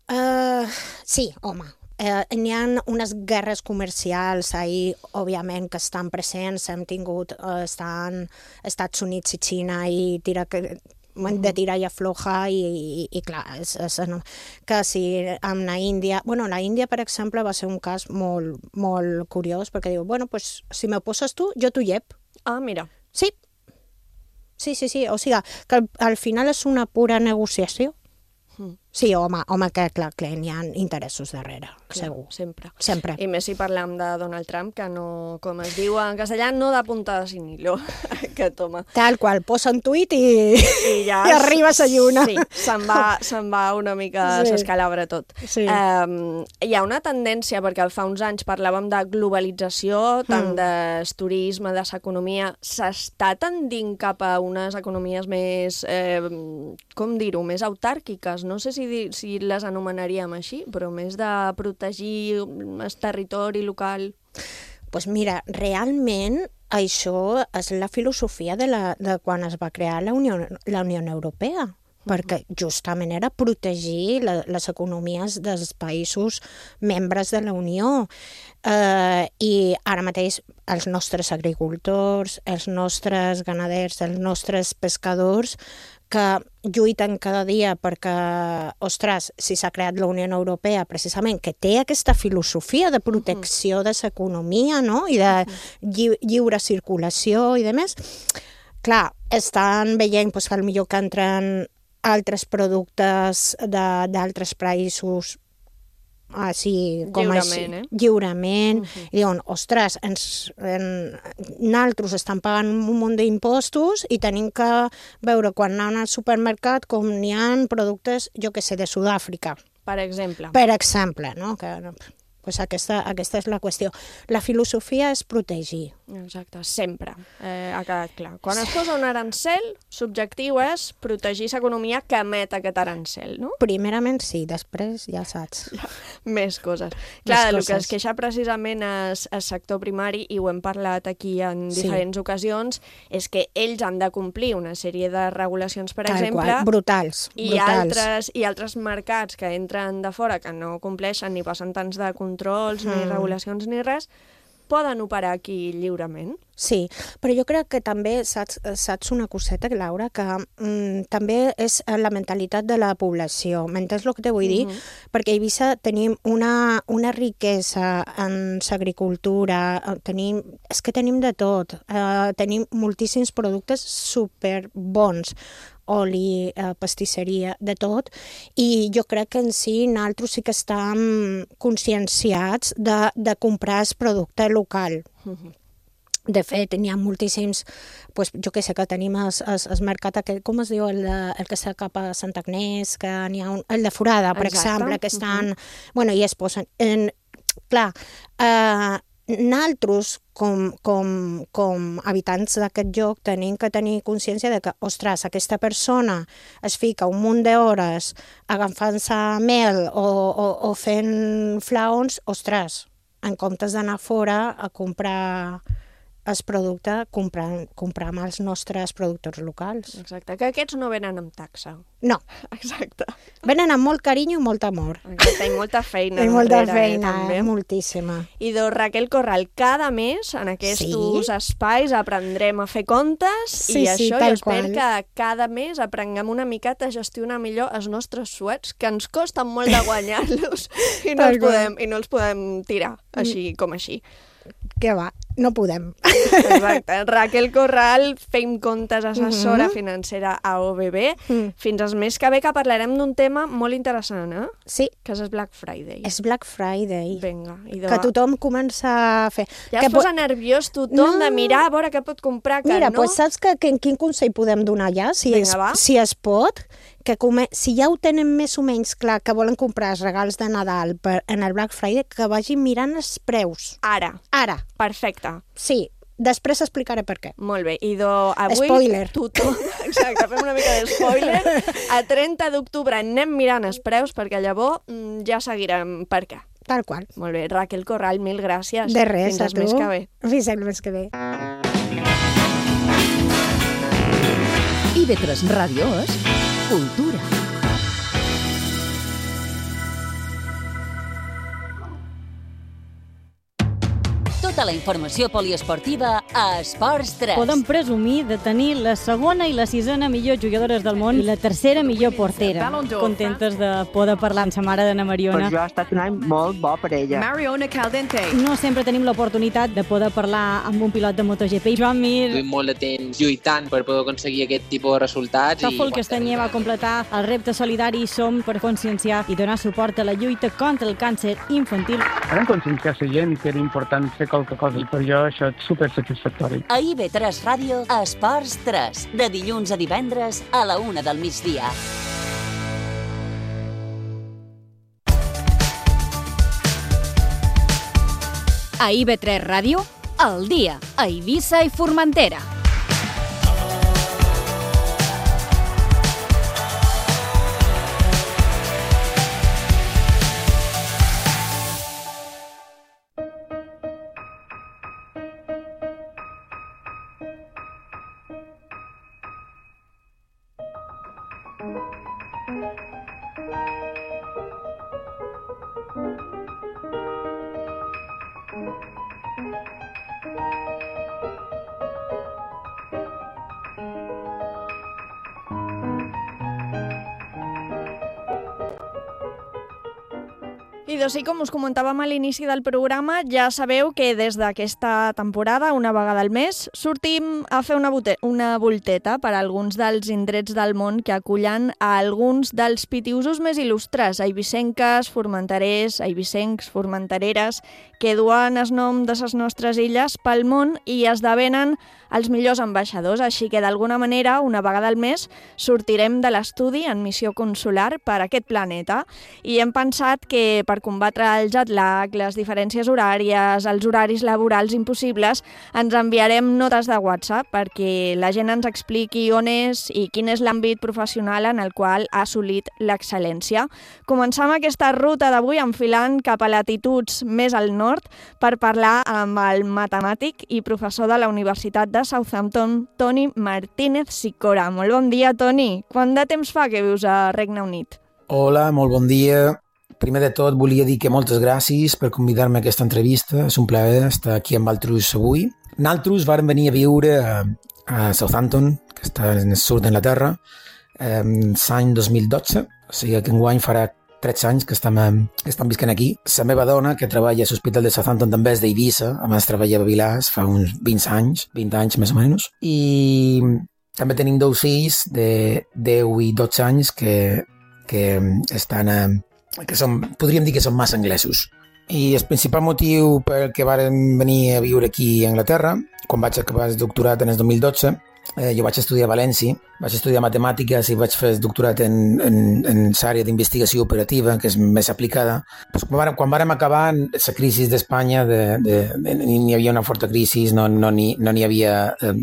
Uh, sí, home. Uh, n'hi ha unes guerres comercials ahí, òbviament, que estan presents. Hem tingut, uh, estan Estats Units i Xina i tira que... de tirar i aflojar i, i, i clar, és, és, no, que si amb la Índia... Bueno, la Índia, per exemple, va ser un cas molt, molt curiós, perquè diu, bueno, pues, si me poses tu, jo t'ho llep. Ah, mira. Sí. Sí, sí, sí. O sigui, que al, al final és una pura negociació. Mm. Sí, home, home que clar, clar, n'hi ha interessos darrere, clar, segur. Sempre. Sempre. I més si parlam de Donald Trump, que no, com es diu en castellà, no da puntada sin hilo, que toma. Tal qual, posa un tuit i, I, ja i arriba a lluna. Sí, se'n va, se'n va una mica, sí. S'escalabra tot. Sí. Um, hi ha una tendència, perquè fa uns anys parlàvem de globalització, tant mm. de turisme, de l'economia, s'està tendint cap a unes economies més, eh, com dir-ho, més autàrquiques, no sé si si les anomenaríem així, però més de protegir el territori local. Doncs pues mira, realment això és la filosofia de, la, de quan es va crear la Unió, la Unió Europea. perquè justament era protegir la, les economies dels països membres de la Unió. Eh, I ara mateix els nostres agricultors, els nostres ganaders, els nostres pescadors, que lluiten cada dia perquè, ostres, si s'ha creat la Unió Europea precisament, que té aquesta filosofia de protecció de l'economia, no?, i de lli lliure circulació i de més, clar, estan veient doncs, que potser que entren altres productes d'altres països així, com lliurement, així, eh? lliurement, uh-huh. I diuen, ostres, ens, en, nosaltres estan pagant un munt d'impostos i tenim que veure quan anem al supermercat com n'hi ha productes, jo que sé, de Sud-àfrica. Per exemple. Per exemple, no? Que, pues aquesta, aquesta és la qüestió. La filosofia és protegir. Exacte, sempre. Eh, ha quedat clar. Quan es posa un arancel, subjectiu és protegir l'economia que emet aquest arancel, no? Primerament sí, després ja saps. Ja, més coses. Clar, el que es queixa precisament és el sector primari, i ho hem parlat aquí en diferents sí. ocasions, és que ells han de complir una sèrie de regulacions, per Tal exemple, qual. Brutals, i, brutals. Altres, i altres mercats que entren de fora, que no compleixen ni passen tants de controls, mm. ni regulacions, ni res, poden operar aquí lliurement? Sí, però jo crec que també saps, saps una coseta, Laura, que mm, també és la mentalitat de la població. M'entens el que te vull dir? Uh-huh. Perquè a Eivissa tenim una, una riquesa en l'agricultura, tenim, és que tenim de tot, uh, tenim moltíssims productes superbons, oli, eh, pastisseria, de tot, i jo crec que en si nosaltres sí que estem conscienciats de, de comprar el producte local. Uh-huh. De fet, n'hi ha moltíssims, pues, jo que sé, que tenim el, el, el mercat aquest, com es diu, el, de, el que està cap a Sant Agnès, que n'hi ha un, el de Forada, per Exacte. exemple, que estan... Uh-huh. Bueno, i es posen... En, clar, eh, nosaltres, com, com, com habitants d'aquest lloc, tenim que tenir consciència de que, ostres, aquesta persona es fica un munt d'hores agafant-se mel o, o, o fent flaons, ostres, en comptes d'anar fora a comprar el producte, comprar, comprar amb els nostres productors locals. Exacte, que aquests no venen amb taxa. No. Exacte. Venen amb molt carinyo i molt amor. Exacte, i molta feina. I molta darrere, feina, eh, també. moltíssima. I doncs, Raquel Corral, cada mes en aquests sí? espais aprendrem a fer comptes sí, i això sí, jo espero qual. que cada mes aprenguem una miqueta a gestionar millor els nostres suets, que ens costen molt de guanyar-los i, no els podem, i no els podem tirar així com així. Que va, no podem. Exacte. Raquel Corral, fem comptes, assessora uh-huh. financera a O B B. Uh-huh. Fins al mes que ve que parlarem d'un tema molt interessant, eh? Sí. Que és el Black Friday. És Black Friday. Vinga. Idò... Que tothom comença a fer... Ja que es posa po... nerviós tothom no. de mirar a veure què pot comprar, que Mira, no... pues saps que, que, quin consell podem donar ja? Si, Vinga, es, va. si es pot, que come... si ja ho tenen més o menys clar que volen comprar els regals de Nadal per, en el Black Friday, que vagin mirant els preus. Ara. Ara. Perfecte. Sí. Després explicaré per què. Molt bé. I do, avui... Spoiler. Tothom... Exacte, fem una mica de spoiler. A trenta d'octubre anem mirant els preus, perquè llavors ja seguirem per què. Tal qual. Molt bé. Raquel Corral, mil gràcies. De res, Fins a tu. Fins el mes que ve. Fins el mes que ve. I ve tres Ràdio és cultura. Tota la informació poliesportiva a Esports tres. Podem presumir de tenir la segona i la sisena millor jugadores del món i la tercera millor portera. Contentes de poder parlar amb sa mare d'Anna Mariona. Per jo ha estat un any molt bo per ella. Mariona Caldente. No sempre tenim l'oportunitat de poder parlar amb un pilot de MotoGP. Joan Mir. Estic molt de temps lluitant per poder aconseguir aquest tipus de resultats. Tòfol Castanyer va completar el repte solidari Som per conscienciar i donar suport a la lluita contra el càncer infantil. Vam conscienciar la gent que era important fer qualque cosa i per jo això és supersatisfactori. A I ve tres Ràdio, Esports tres, de dilluns a divendres a la una del migdia. A I ve tres Ràdio, al dia, a Eivissa i Formentera. I doncs sí, com us comentàvem a l'inici del programa, ja sabeu que des d'aquesta temporada, una vegada al mes, sortim a fer una, una volteta per a alguns dels indrets del món que acullen a alguns dels pitiusos més il·lustres, eivissenques, formenterers, eivissencs, formentereres, que duen el nom de les nostres illes pel món i esdevenen els millors ambaixadors. Així que, d'alguna manera, una vegada al mes, sortirem de l'estudi en missió consular per aquest planeta. I hem pensat que per combatre el jet lag, les diferències horàries, els horaris laborals impossibles, ens enviarem notes de WhatsApp perquè la gent ens expliqui on és i quin és l'àmbit professional en el qual ha assolit l'excel·lència. Començam aquesta ruta d'avui enfilant cap a latituds més al nord per parlar amb el matemàtic i professor de la Universitat de Southampton, Toni Martínez Sicora. Molt bon dia, Toni. Quant de temps fa que vius a Regne Unit? Hola, molt bon dia. Primer de tot, volia dir que moltes gràcies per convidar-me a aquesta entrevista. És un plaer estar aquí amb altres avui. Nosaltres vàrem venir a viure a, a Southampton, que està en el sud d'Anglaterra, eh, l'any dos mil dotze, o sigui que enguany farà tretze anys que estem, que estem visquent aquí. La meva dona, que treballa a l'Hospital de Southampton, també és d'Eivissa, a més treballa a Vilàs fa uns vint anys, vint anys més o menys, i també tenim dos fills de deu i dotze anys que, que estan a que som, podríem dir que són massa anglesos. I el principal motiu per què vàrem venir a viure aquí a Anglaterra, quan vaig acabar el doctorat en el dos mil dotze, eh, jo vaig estudiar a València, vaig estudiar matemàtiques i vaig fer el doctorat en, en, en l'àrea d'investigació operativa, que és més aplicada. Pues, quan, vàrem, quan vàrem acabar la crisi d'Espanya, de, de, de, n'hi havia una forta crisi, no n'hi no ni, no ni havia eh,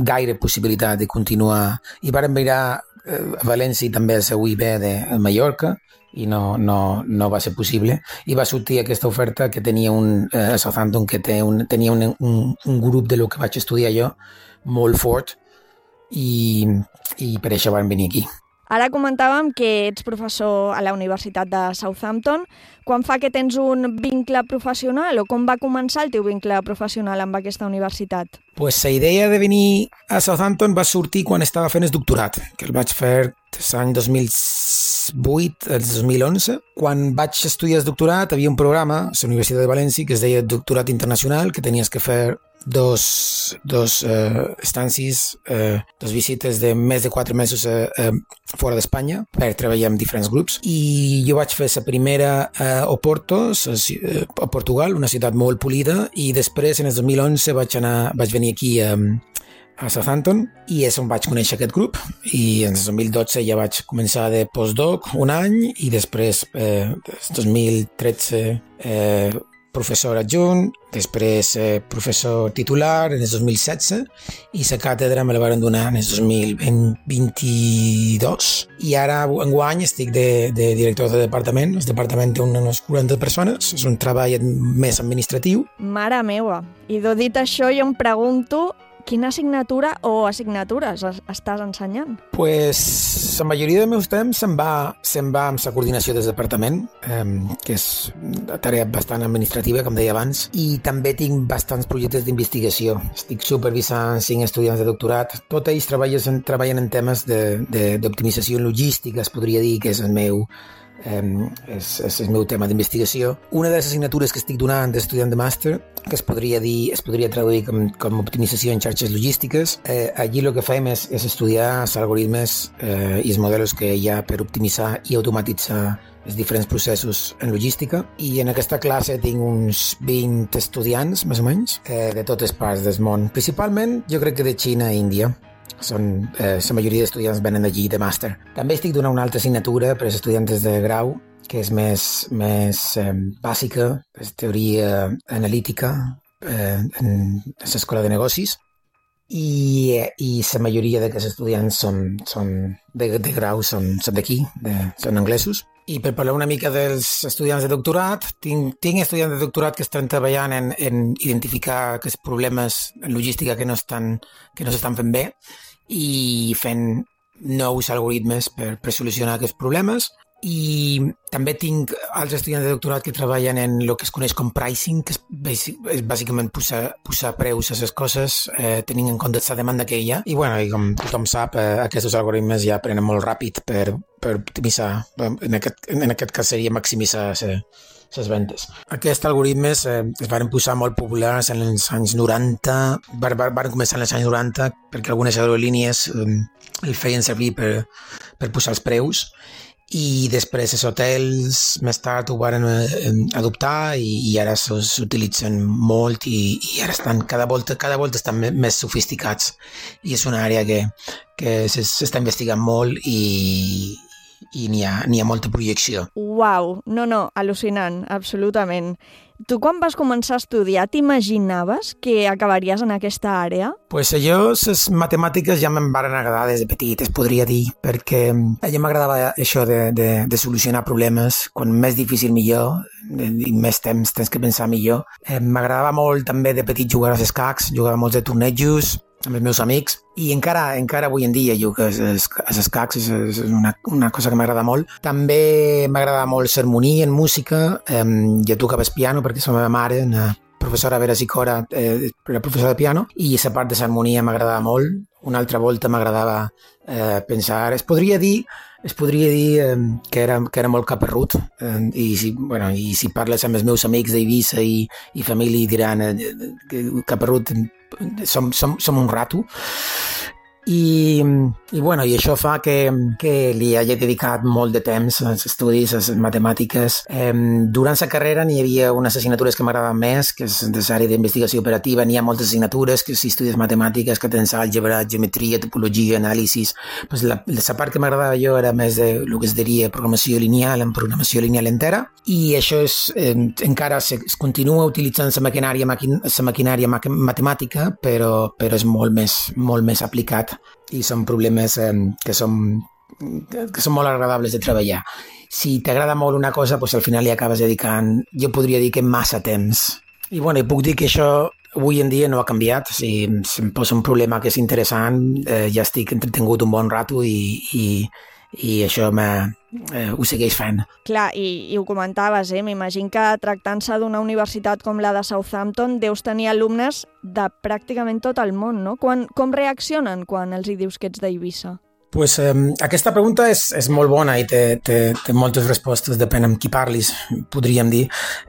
gaire possibilitat de continuar. I vàrem mirar eh, a València i també a la U I B de Mallorca, i no, no, no va ser possible, i va sortir aquesta oferta que tenia un, eh, a Southampton, que té un, tenia un, un, un grup de lo que vaig estudiar jo molt fort, i, i per això vam venir aquí. Ara comentàvem que ets professor a la Universitat de Southampton. Quan fa que tens un vincle professional o com va començar el teu vincle professional amb aquesta universitat? Pues la idea de venir a Southampton va sortir quan estava fent el doctorat, que el vaig fer l'any dos mil vuit al dos mil onze. Quan vaig estudiar el doctorat havia un programa a la Universitat de València que es deia Doctorat Internacional, que tenies que fer dos, dos uh, estàncies, uh, dos visites de més de quatre mesos uh, uh, fora d'Espanya per treballar amb diferents grups. I jo vaig fer la primera uh, a Oporto, a Portugal, una ciutat molt polida, i després, en el dos mil onze, vaig, anar, vaig venir aquí a, a Southampton i és on vaig conèixer aquest grup. I en el dos mil dotze ja vaig començar de postdoc un any i després, eh, dos mil tretze, eh, professor adjunt, després eh, professor titular en el dos mil setze i la càtedra me la van donar en el dos mil vint-i-dos i ara enguany estic de, de director de departament. El departament té unes quaranta persones, és un treball més administratiu. Mare meua! I dit això jo em pregunto quina assignatura o assignatures estàs ensenyant? Pues la majoria del meu temps se'n va, se'n va amb la coordinació del departament, eh, que és una tarea bastant administrativa, com deia abans, i també tinc bastants projectes d'investigació. Estic supervisant cinc estudiants de doctorat. Tots ells treballen, treballen en temes d'optimització logística, es podria dir que és el meu Um, és, és el meu tema d'investigació. Una de les assignatures que estic donant d'estudiant de màster, que es podria dir, es podria traduir com, com optimització en xarxes logístiques, eh, allí el que fem és, és estudiar els algoritmes eh, i els models que hi ha per optimitzar i automatitzar els diferents processos en logística. I en aquesta classe tinc uns vint estudiants, més o menys, eh, de totes parts del món. Principalment, jo crec que de Xina i Índia. Són, eh, la majoria d'estudiants venen d'allí de màster. També estic donant una altra assignatura per als estudiants de grau, que és més, més eh, bàsica, és teoria analítica eh, en l'escola de negocis, i, i la majoria d'aquests estudiants són, són de, de grau són, són d'aquí, de, són anglesos. I per parlar una mica dels estudiants de doctorat, tinc, tinc estudiants de doctorat que estan treballant en, en identificar aquests problemes en logística que no estan, que no s'estan fent bé i fent nous algoritmes per, per solucionar aquests problemes. I també tinc altres estudiants de doctorat que treballen en el que es coneix com pricing, que és, és bàsicament posar, posar preus a les coses eh, tenint en compte la demanda que hi ha. I, bueno, i com tothom sap, eh, aquests algoritmes ja aprenen molt ràpid per, per optimitzar, en aquest, en aquest cas seria maximitzar les ventes. Aquests algoritmes eh, es van posar molt populars en els anys noranta, van, van començar en els anys noranta perquè algunes aerolínies eh, el feien servir per, per posar els preus, i després els hotels més tard ho van eh, adoptar i, i ara s'utilitzen molt i, i ara estan cada volta, cada volta estan més sofisticats i és una àrea que, que s'està investigant molt i, i n'hi ha, n'hi ha molta projecció. Uau, no, no, al·lucinant, absolutament. Tu quan vas començar a estudiar t'imaginaves que acabaries en aquesta àrea? Pues jo, les matemàtiques ja me'n van agradar des de petit, es podria dir, perquè a mi m'agradava això de, de, de solucionar problemes, quan més difícil millor, i més temps tens que pensar millor. Eh, m'agradava molt també de petit jugar als escacs, jugava molts de tornejos amb els meus amics, i encara encara avui en dia jugo als escacs, és, és una, una cosa que m'agrada molt. També m'agrada molt sermoní en música, eh, jo tocaves piano perquè la meva mare, una professora Vera Sicora, eh, era professora de piano, i aquesta part de sermonia m'agradava molt. Una altra volta m'agradava eh, pensar, es podria dir es podria dir eh, que, era, que era molt caparrut, eh, i, si, bueno, i si parles amb els meus amics d'Eivissa i, i família diran eh, que caparrut som, som, som un rato. I, i, bueno, i això fa que, que li hagi dedicat molt de temps als estudis, a les matemàtiques. Eh, durant la carrera n'hi havia unes assignatures que m'agradaven més, que és de l'àrea d'investigació operativa. N'hi ha moltes assignatures, que si estudies matemàtiques, que tens àlgebra, geometria, topologia, anàlisis. Pues la, la part que m'agradava jo era més de el que es diria programació lineal, en programació lineal entera, i això és, eh, encara se, es continua utilitzant la maquinària, maqui, la maquinària matemàtica, però, però és molt més, molt més aplicat. I són problemes eh, que, són, que són molt agradables de treballar. Si t'agrada molt una cosa, doncs al final li acabes dedicant, jo podria dir que massa temps. I bueno, puc dir que això avui en dia no ha canviat. Si, si em posa un problema que és interessant, eh, ja estic entretingut un bon rato i, i, i això eh, ho segueix fent. Clar, i, i ho comentaves, eh? M'imagino que tractant-se d'una universitat com la de Southampton deus tenir alumnes de pràcticament tot el món, no? Quan, com reaccionen quan els hi dius que ets d'Eivissa? Pues, eh, aquesta pregunta és, és molt bona i té, té, té moltes respostes, depèn amb qui parlis, podríem dir.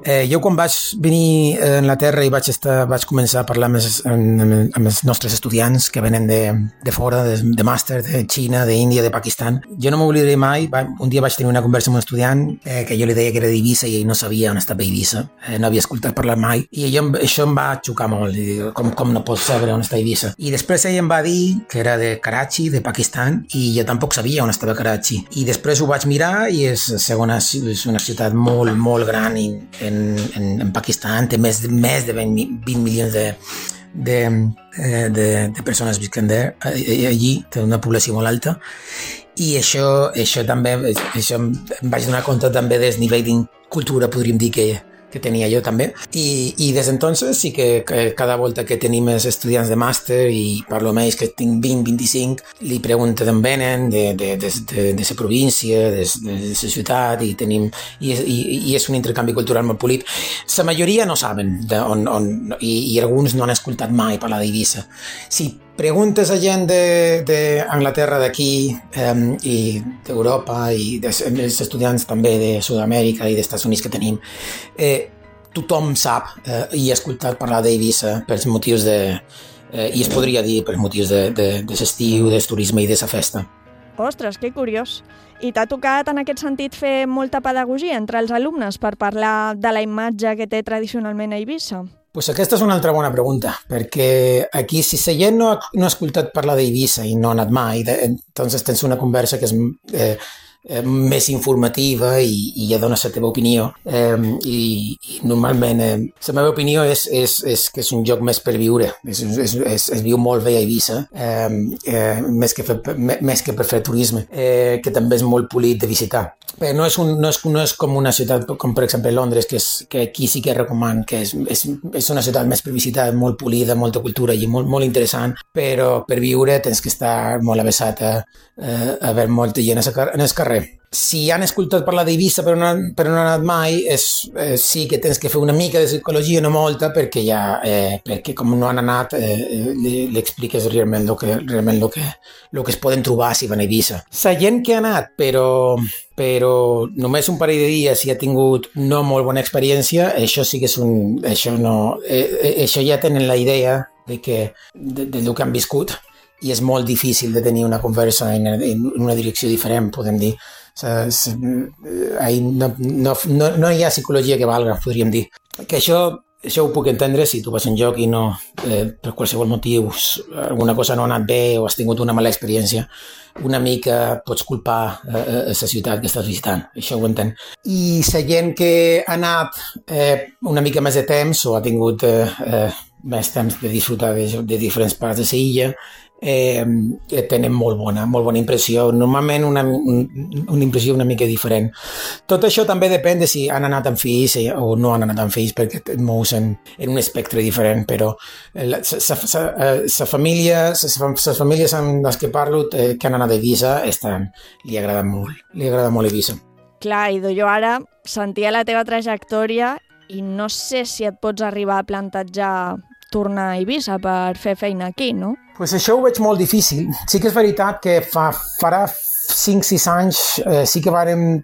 Eh, jo quan vaig venir a Anglaterra i vaig, estar, vaig començar a parlar amb els, amb, amb els nostres estudiants que venen de, de fora, de, de màster, de Xina, d'Índia, de Pakistan, jo no m'oblidaré mai. Un dia vaig tenir una conversa amb un estudiant eh, que jo li deia que era d'Eivissa i ell no sabia on estava Eivissa, eh, no havia escoltat parlar mai, i jo, això em va xocar molt, i com, com no pots saber on està Eivissa. I després ell em va dir que era de Karachi, de Pakistan, i jo tampoc sabia on estava Karachi. I després ho vaig mirar i és, segona, és una ciutat molt, molt gran en, en, en Pakistan, té més de, més de vint milions de, de, de, de persones visquent allí, té una població molt alta. I això, això també, això em vaig donar compte també del nivell de cultura, podríem dir que que tenia jo també, i, i des d'entonces sí que, que cada volta que tenim els estudiants de màster i parlo amb ells que tinc vint, vint-i-cinc, li pregunto d'on venen, de, de, de, de, de la província, de, de, de la ciutat, i tenim i, i, i és un intercanvi cultural molt polit. La majoria no saben de on, on, i, i alguns no han escoltat mai parlar d'Eivissa. Si preguntes a gent d'Anglaterra, de, d'aquí eh, i d'Europa i dels estudiants també de Sud-amèrica i dels Estats Units que tenim, eh, tothom sap eh, i ha escoltat parlar d'Eivissa pels motius de... Eh, i es podria dir pels motius de, de, de l'estiu, del turisme i de la festa. Ostres, que curiós. I t'ha tocat en aquest sentit fer molta pedagogia entre els alumnes per parlar de la imatge que té tradicionalment a Eivissa? Pues aquesta és una altra bona pregunta, perquè aquí si la gent no ha, no ha escoltat parlar d'Eivissa i no ha anat mai, de, entonces tens una conversa que és, eh, eh, més informativa i, i ja dones la teva opinió. Eh, i, I normalment eh, la meva opinió és, és, és que és un lloc més per viure. És, és, és, es viu molt bé a Eivissa, eh, eh, més, que fer, més que per fer turisme, eh, que també és molt polit de visitar. Però no és, un, no, és, no és com una ciutat com per exemple Londres, que, és, que aquí sí que recomano, que és, és, és una ciutat més per visitar, molt polida, molta cultura i molt, molt interessant, però per viure tens que estar molt avessat a, a veure molta gent en el carrer. Si han escoltat parlar d'Eivissa però no, però no han anat mai, és, eh, sí que tens que fer una mica de psicologia, no molta, perquè ja, eh, perquè com no han anat, eh, li, li expliques realment el que, realment lo que, lo que es poden trobar si van a Eivissa. La gent que ha anat, però, però només un parell de dies i ha tingut no molt bona experiència, això sí que és un... Això, no, eh, això ja tenen la idea de, que, de, de lo que han viscut i és molt difícil de tenir una conversa en, en una direcció diferent, podem dir. No, no, no, no hi ha psicologia que valga, podríem dir. Que això, això ho puc entendre si tu vas a un lloc i no, eh, per qualsevol motiu, alguna cosa no ha anat bé o has tingut una mala experiència, una mica pots culpar eh, la ciutat que estàs visitant, això ho entenc. I la gent que ha anat eh, una mica més de temps o ha tingut eh, eh, més temps de disfrutar de, de diferents parts de l'illa, Eh, tenen molt bona, molt bona impressió, normalment una, un, una impressió una mica diferent. Tot això també depèn de si han anat amb fills o no han anat amb fills, perquè et mous en, en un espectre diferent, però la família, les famílies amb les que parlo eh, que han anat a Eivissa estan, li agrada molt, li agrada molt Eivissa. Clar, Ido, jo ara sentia la teva trajectòria i no sé si et pots arribar a plantejar tornar a Eivissa per fer feina aquí, no? Pues això ho veig molt difícil. Sí que és veritat que fa, farà cinc sis anys eh, sí que vàrem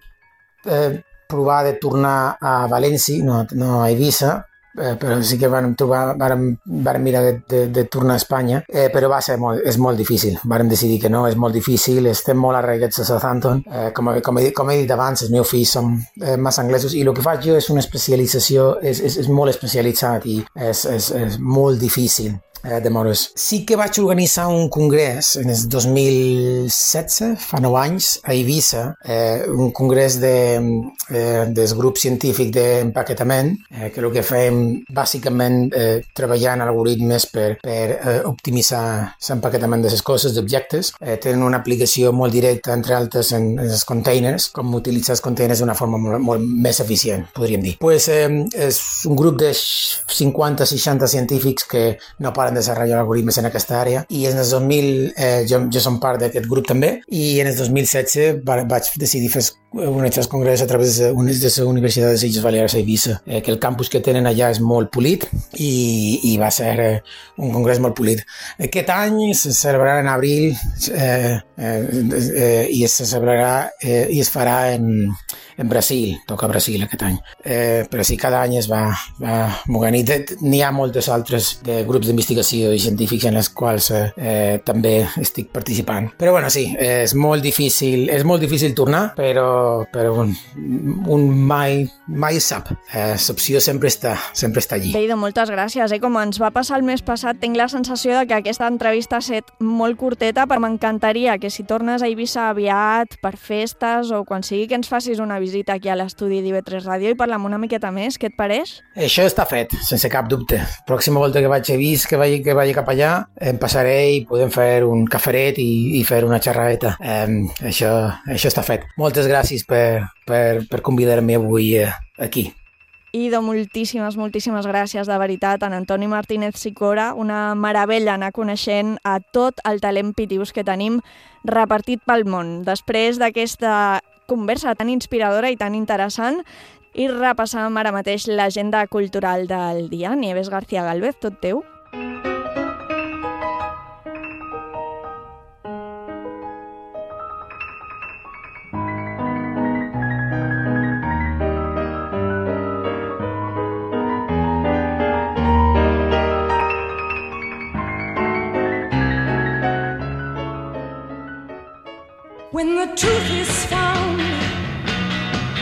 eh, provar de tornar a València, no, no a Eivissa, eh, però sí que vàrem, trobar, vàrem, vàrem mirar de, de, de tornar a Espanya, eh, però va ser molt, és molt difícil. Vàrem decidir que no, és molt difícil, estem molt arraigats a Southampton. Eh, com, com, he, com he dit abans, els meus fills són eh, massa anglesos i el que faig jo és una especialització, és, és, és molt especialitzat i és, és, és molt difícil eh, de moure's. Sí que vaig organitzar un congrés en el dos mil setze, fa nou anys, a Eivissa, eh, un congrés de, eh, del grup científic d'empaquetament, eh, que el que fem bàsicament eh, treballar en algoritmes per, per eh, optimitzar l'empaquetament de les coses, d'objectes. Eh, tenen una aplicació molt directa, entre altres, en, en els containers, com utilitzar els containers d'una forma molt, molt més eficient, podríem dir. Pues, eh, és un grup de cinquanta seixanta científics que no paren de desarrollar algoritmes en aquesta àrea i en el dos mil, eh, jo, jo som part d'aquest grup també, i en el dos mil setze va, vaig decidir fer organitzar el congrés a través de, de la Universitat de les Illes Balears a Eivissa, eh, que el campus que tenen allà és molt polit i, i va ser eh, un congrés molt polit. Aquest any se celebrarà en abril eh, eh, eh, i se celebrarà eh, i es farà en, en Brasil, toca Brasil aquest any. Eh, però sí, cada any es va, va movent i n'hi ha moltes altres de grups d'investigació i científics en els quals eh, eh, també estic participant. Però bueno, sí, eh, és molt difícil, és molt difícil tornar, però però un, un mai, mai sap. Eh, l'opció sempre està, sempre està allí. Beido, moltes gràcies. Eh? Com ens va passar el mes passat, tinc la sensació de que aquesta entrevista ha estat molt curteta, però m'encantaria que si tornes a Eivissa aviat, per festes o quan sigui que ens facis una visita aquí a l'estudi d'I V tres Ràdio i parlem una miqueta més. Què et pareix? Això està fet, sense cap dubte. Pròxima volta que vaig a Eivissa, que vagi, que vagi cap allà, em passaré i podem fer un caferet i, i fer una xerradeta. Eh, això, això està fet. Moltes gràcies per, per, per convidar-me avui eh, aquí. Ido, moltíssimes, moltíssimes gràcies, de veritat. En Antoni Martínez Sicora, una meravella anar coneixent a tot el talent pitius que tenim repartit pel món. Després d'aquesta conversa tan inspiradora i tan interessant, i repassam ara mateix l'agenda cultural del dia. Nieves García Galvez, tot teu. When the truth is found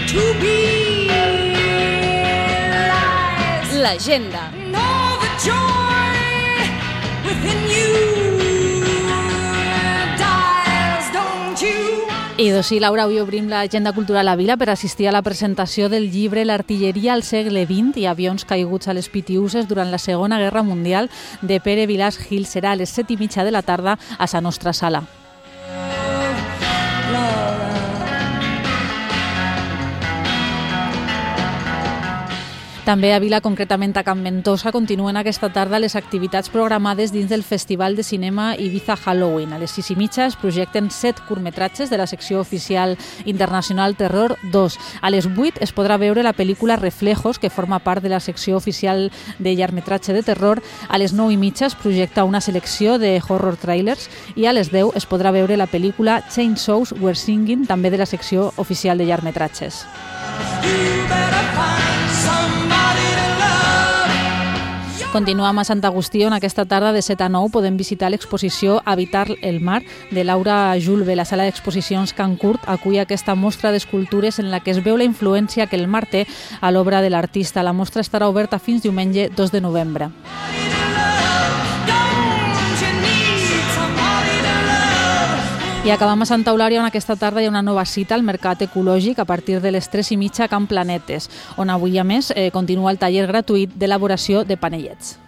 to be lies, l'agenda. Know the joy within you dies, don't you? I doncs sí, Laura, avui obrim l'agenda cultural a Vila per assistir a la presentació del llibre L'artilleria al segle vint i avions caiguts a les Pitiuses durant la Segona Guerra Mundial de Pere Vilàs Gil. Serà a les set i mitja de la tarda a la nostra sala. També a Vila, concretament a Can Ventosa, continuen aquesta tarda les activitats programades dins del Festival de Cinema Ibiza Halloween. A les sis i mitja es projecten set curtmetratges de la secció oficial internacional Terror dos. A les vuit es podrà veure la pel·lícula Reflejos, que forma part de la secció oficial de llargmetratge de terror. A les nou i mitja es projecta una selecció de horror trailers i a les deu es podrà veure la pel·lícula Chainsaws Were Singing, també de la secció oficial de llargmetratges. Continuam a Sant Agustí, on aquesta tarda de set a nou podem visitar l'exposició Habitar el mar de Laura Julve. La sala d'exposicions Can Curt acull aquesta mostra d'escultures en la que es veu la influència que el mar té a l'obra de l'artista. La mostra estarà oberta fins diumenge dos de novembre. I acabam a Santa Eulària, on aquesta tarda hi ha una nova cita al Mercat Ecològic a partir de les tres i mitja a Can Planetes, on avui, a més, eh, continua el taller gratuït d'elaboració de panellets.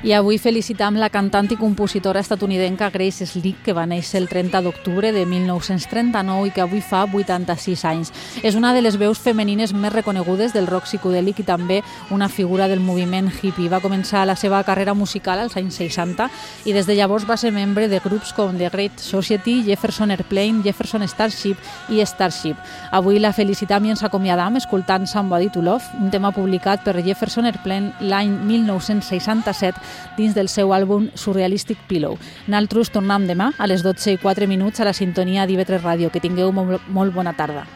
I avui felicitam la cantant i compositora estatunidenca Grace Slick, que va néixer el trenta d'octubre de mil nou-cents trenta-nou i que avui fa vuitanta-sis anys. És una de les veus femenines més reconegudes del rock psicodèlic i també una figura del moviment hippie. Va començar la seva carrera musical als anys seixanta i des de llavors va ser membre de grups com The Great Society, Jefferson Airplane, Jefferson Starship i Starship. Avui la felicitam i ens acomiadam escoltant Somebody to Love, un tema publicat per Jefferson Airplane l'any mil nou-cents seixanta-set dins del seu àlbum Surrealistic Pillow. Naltros tornem demà a les dotze i quatre minuts a la sintonia d'I V tres Ràdio. Que tingueu molt, molt bona tarda.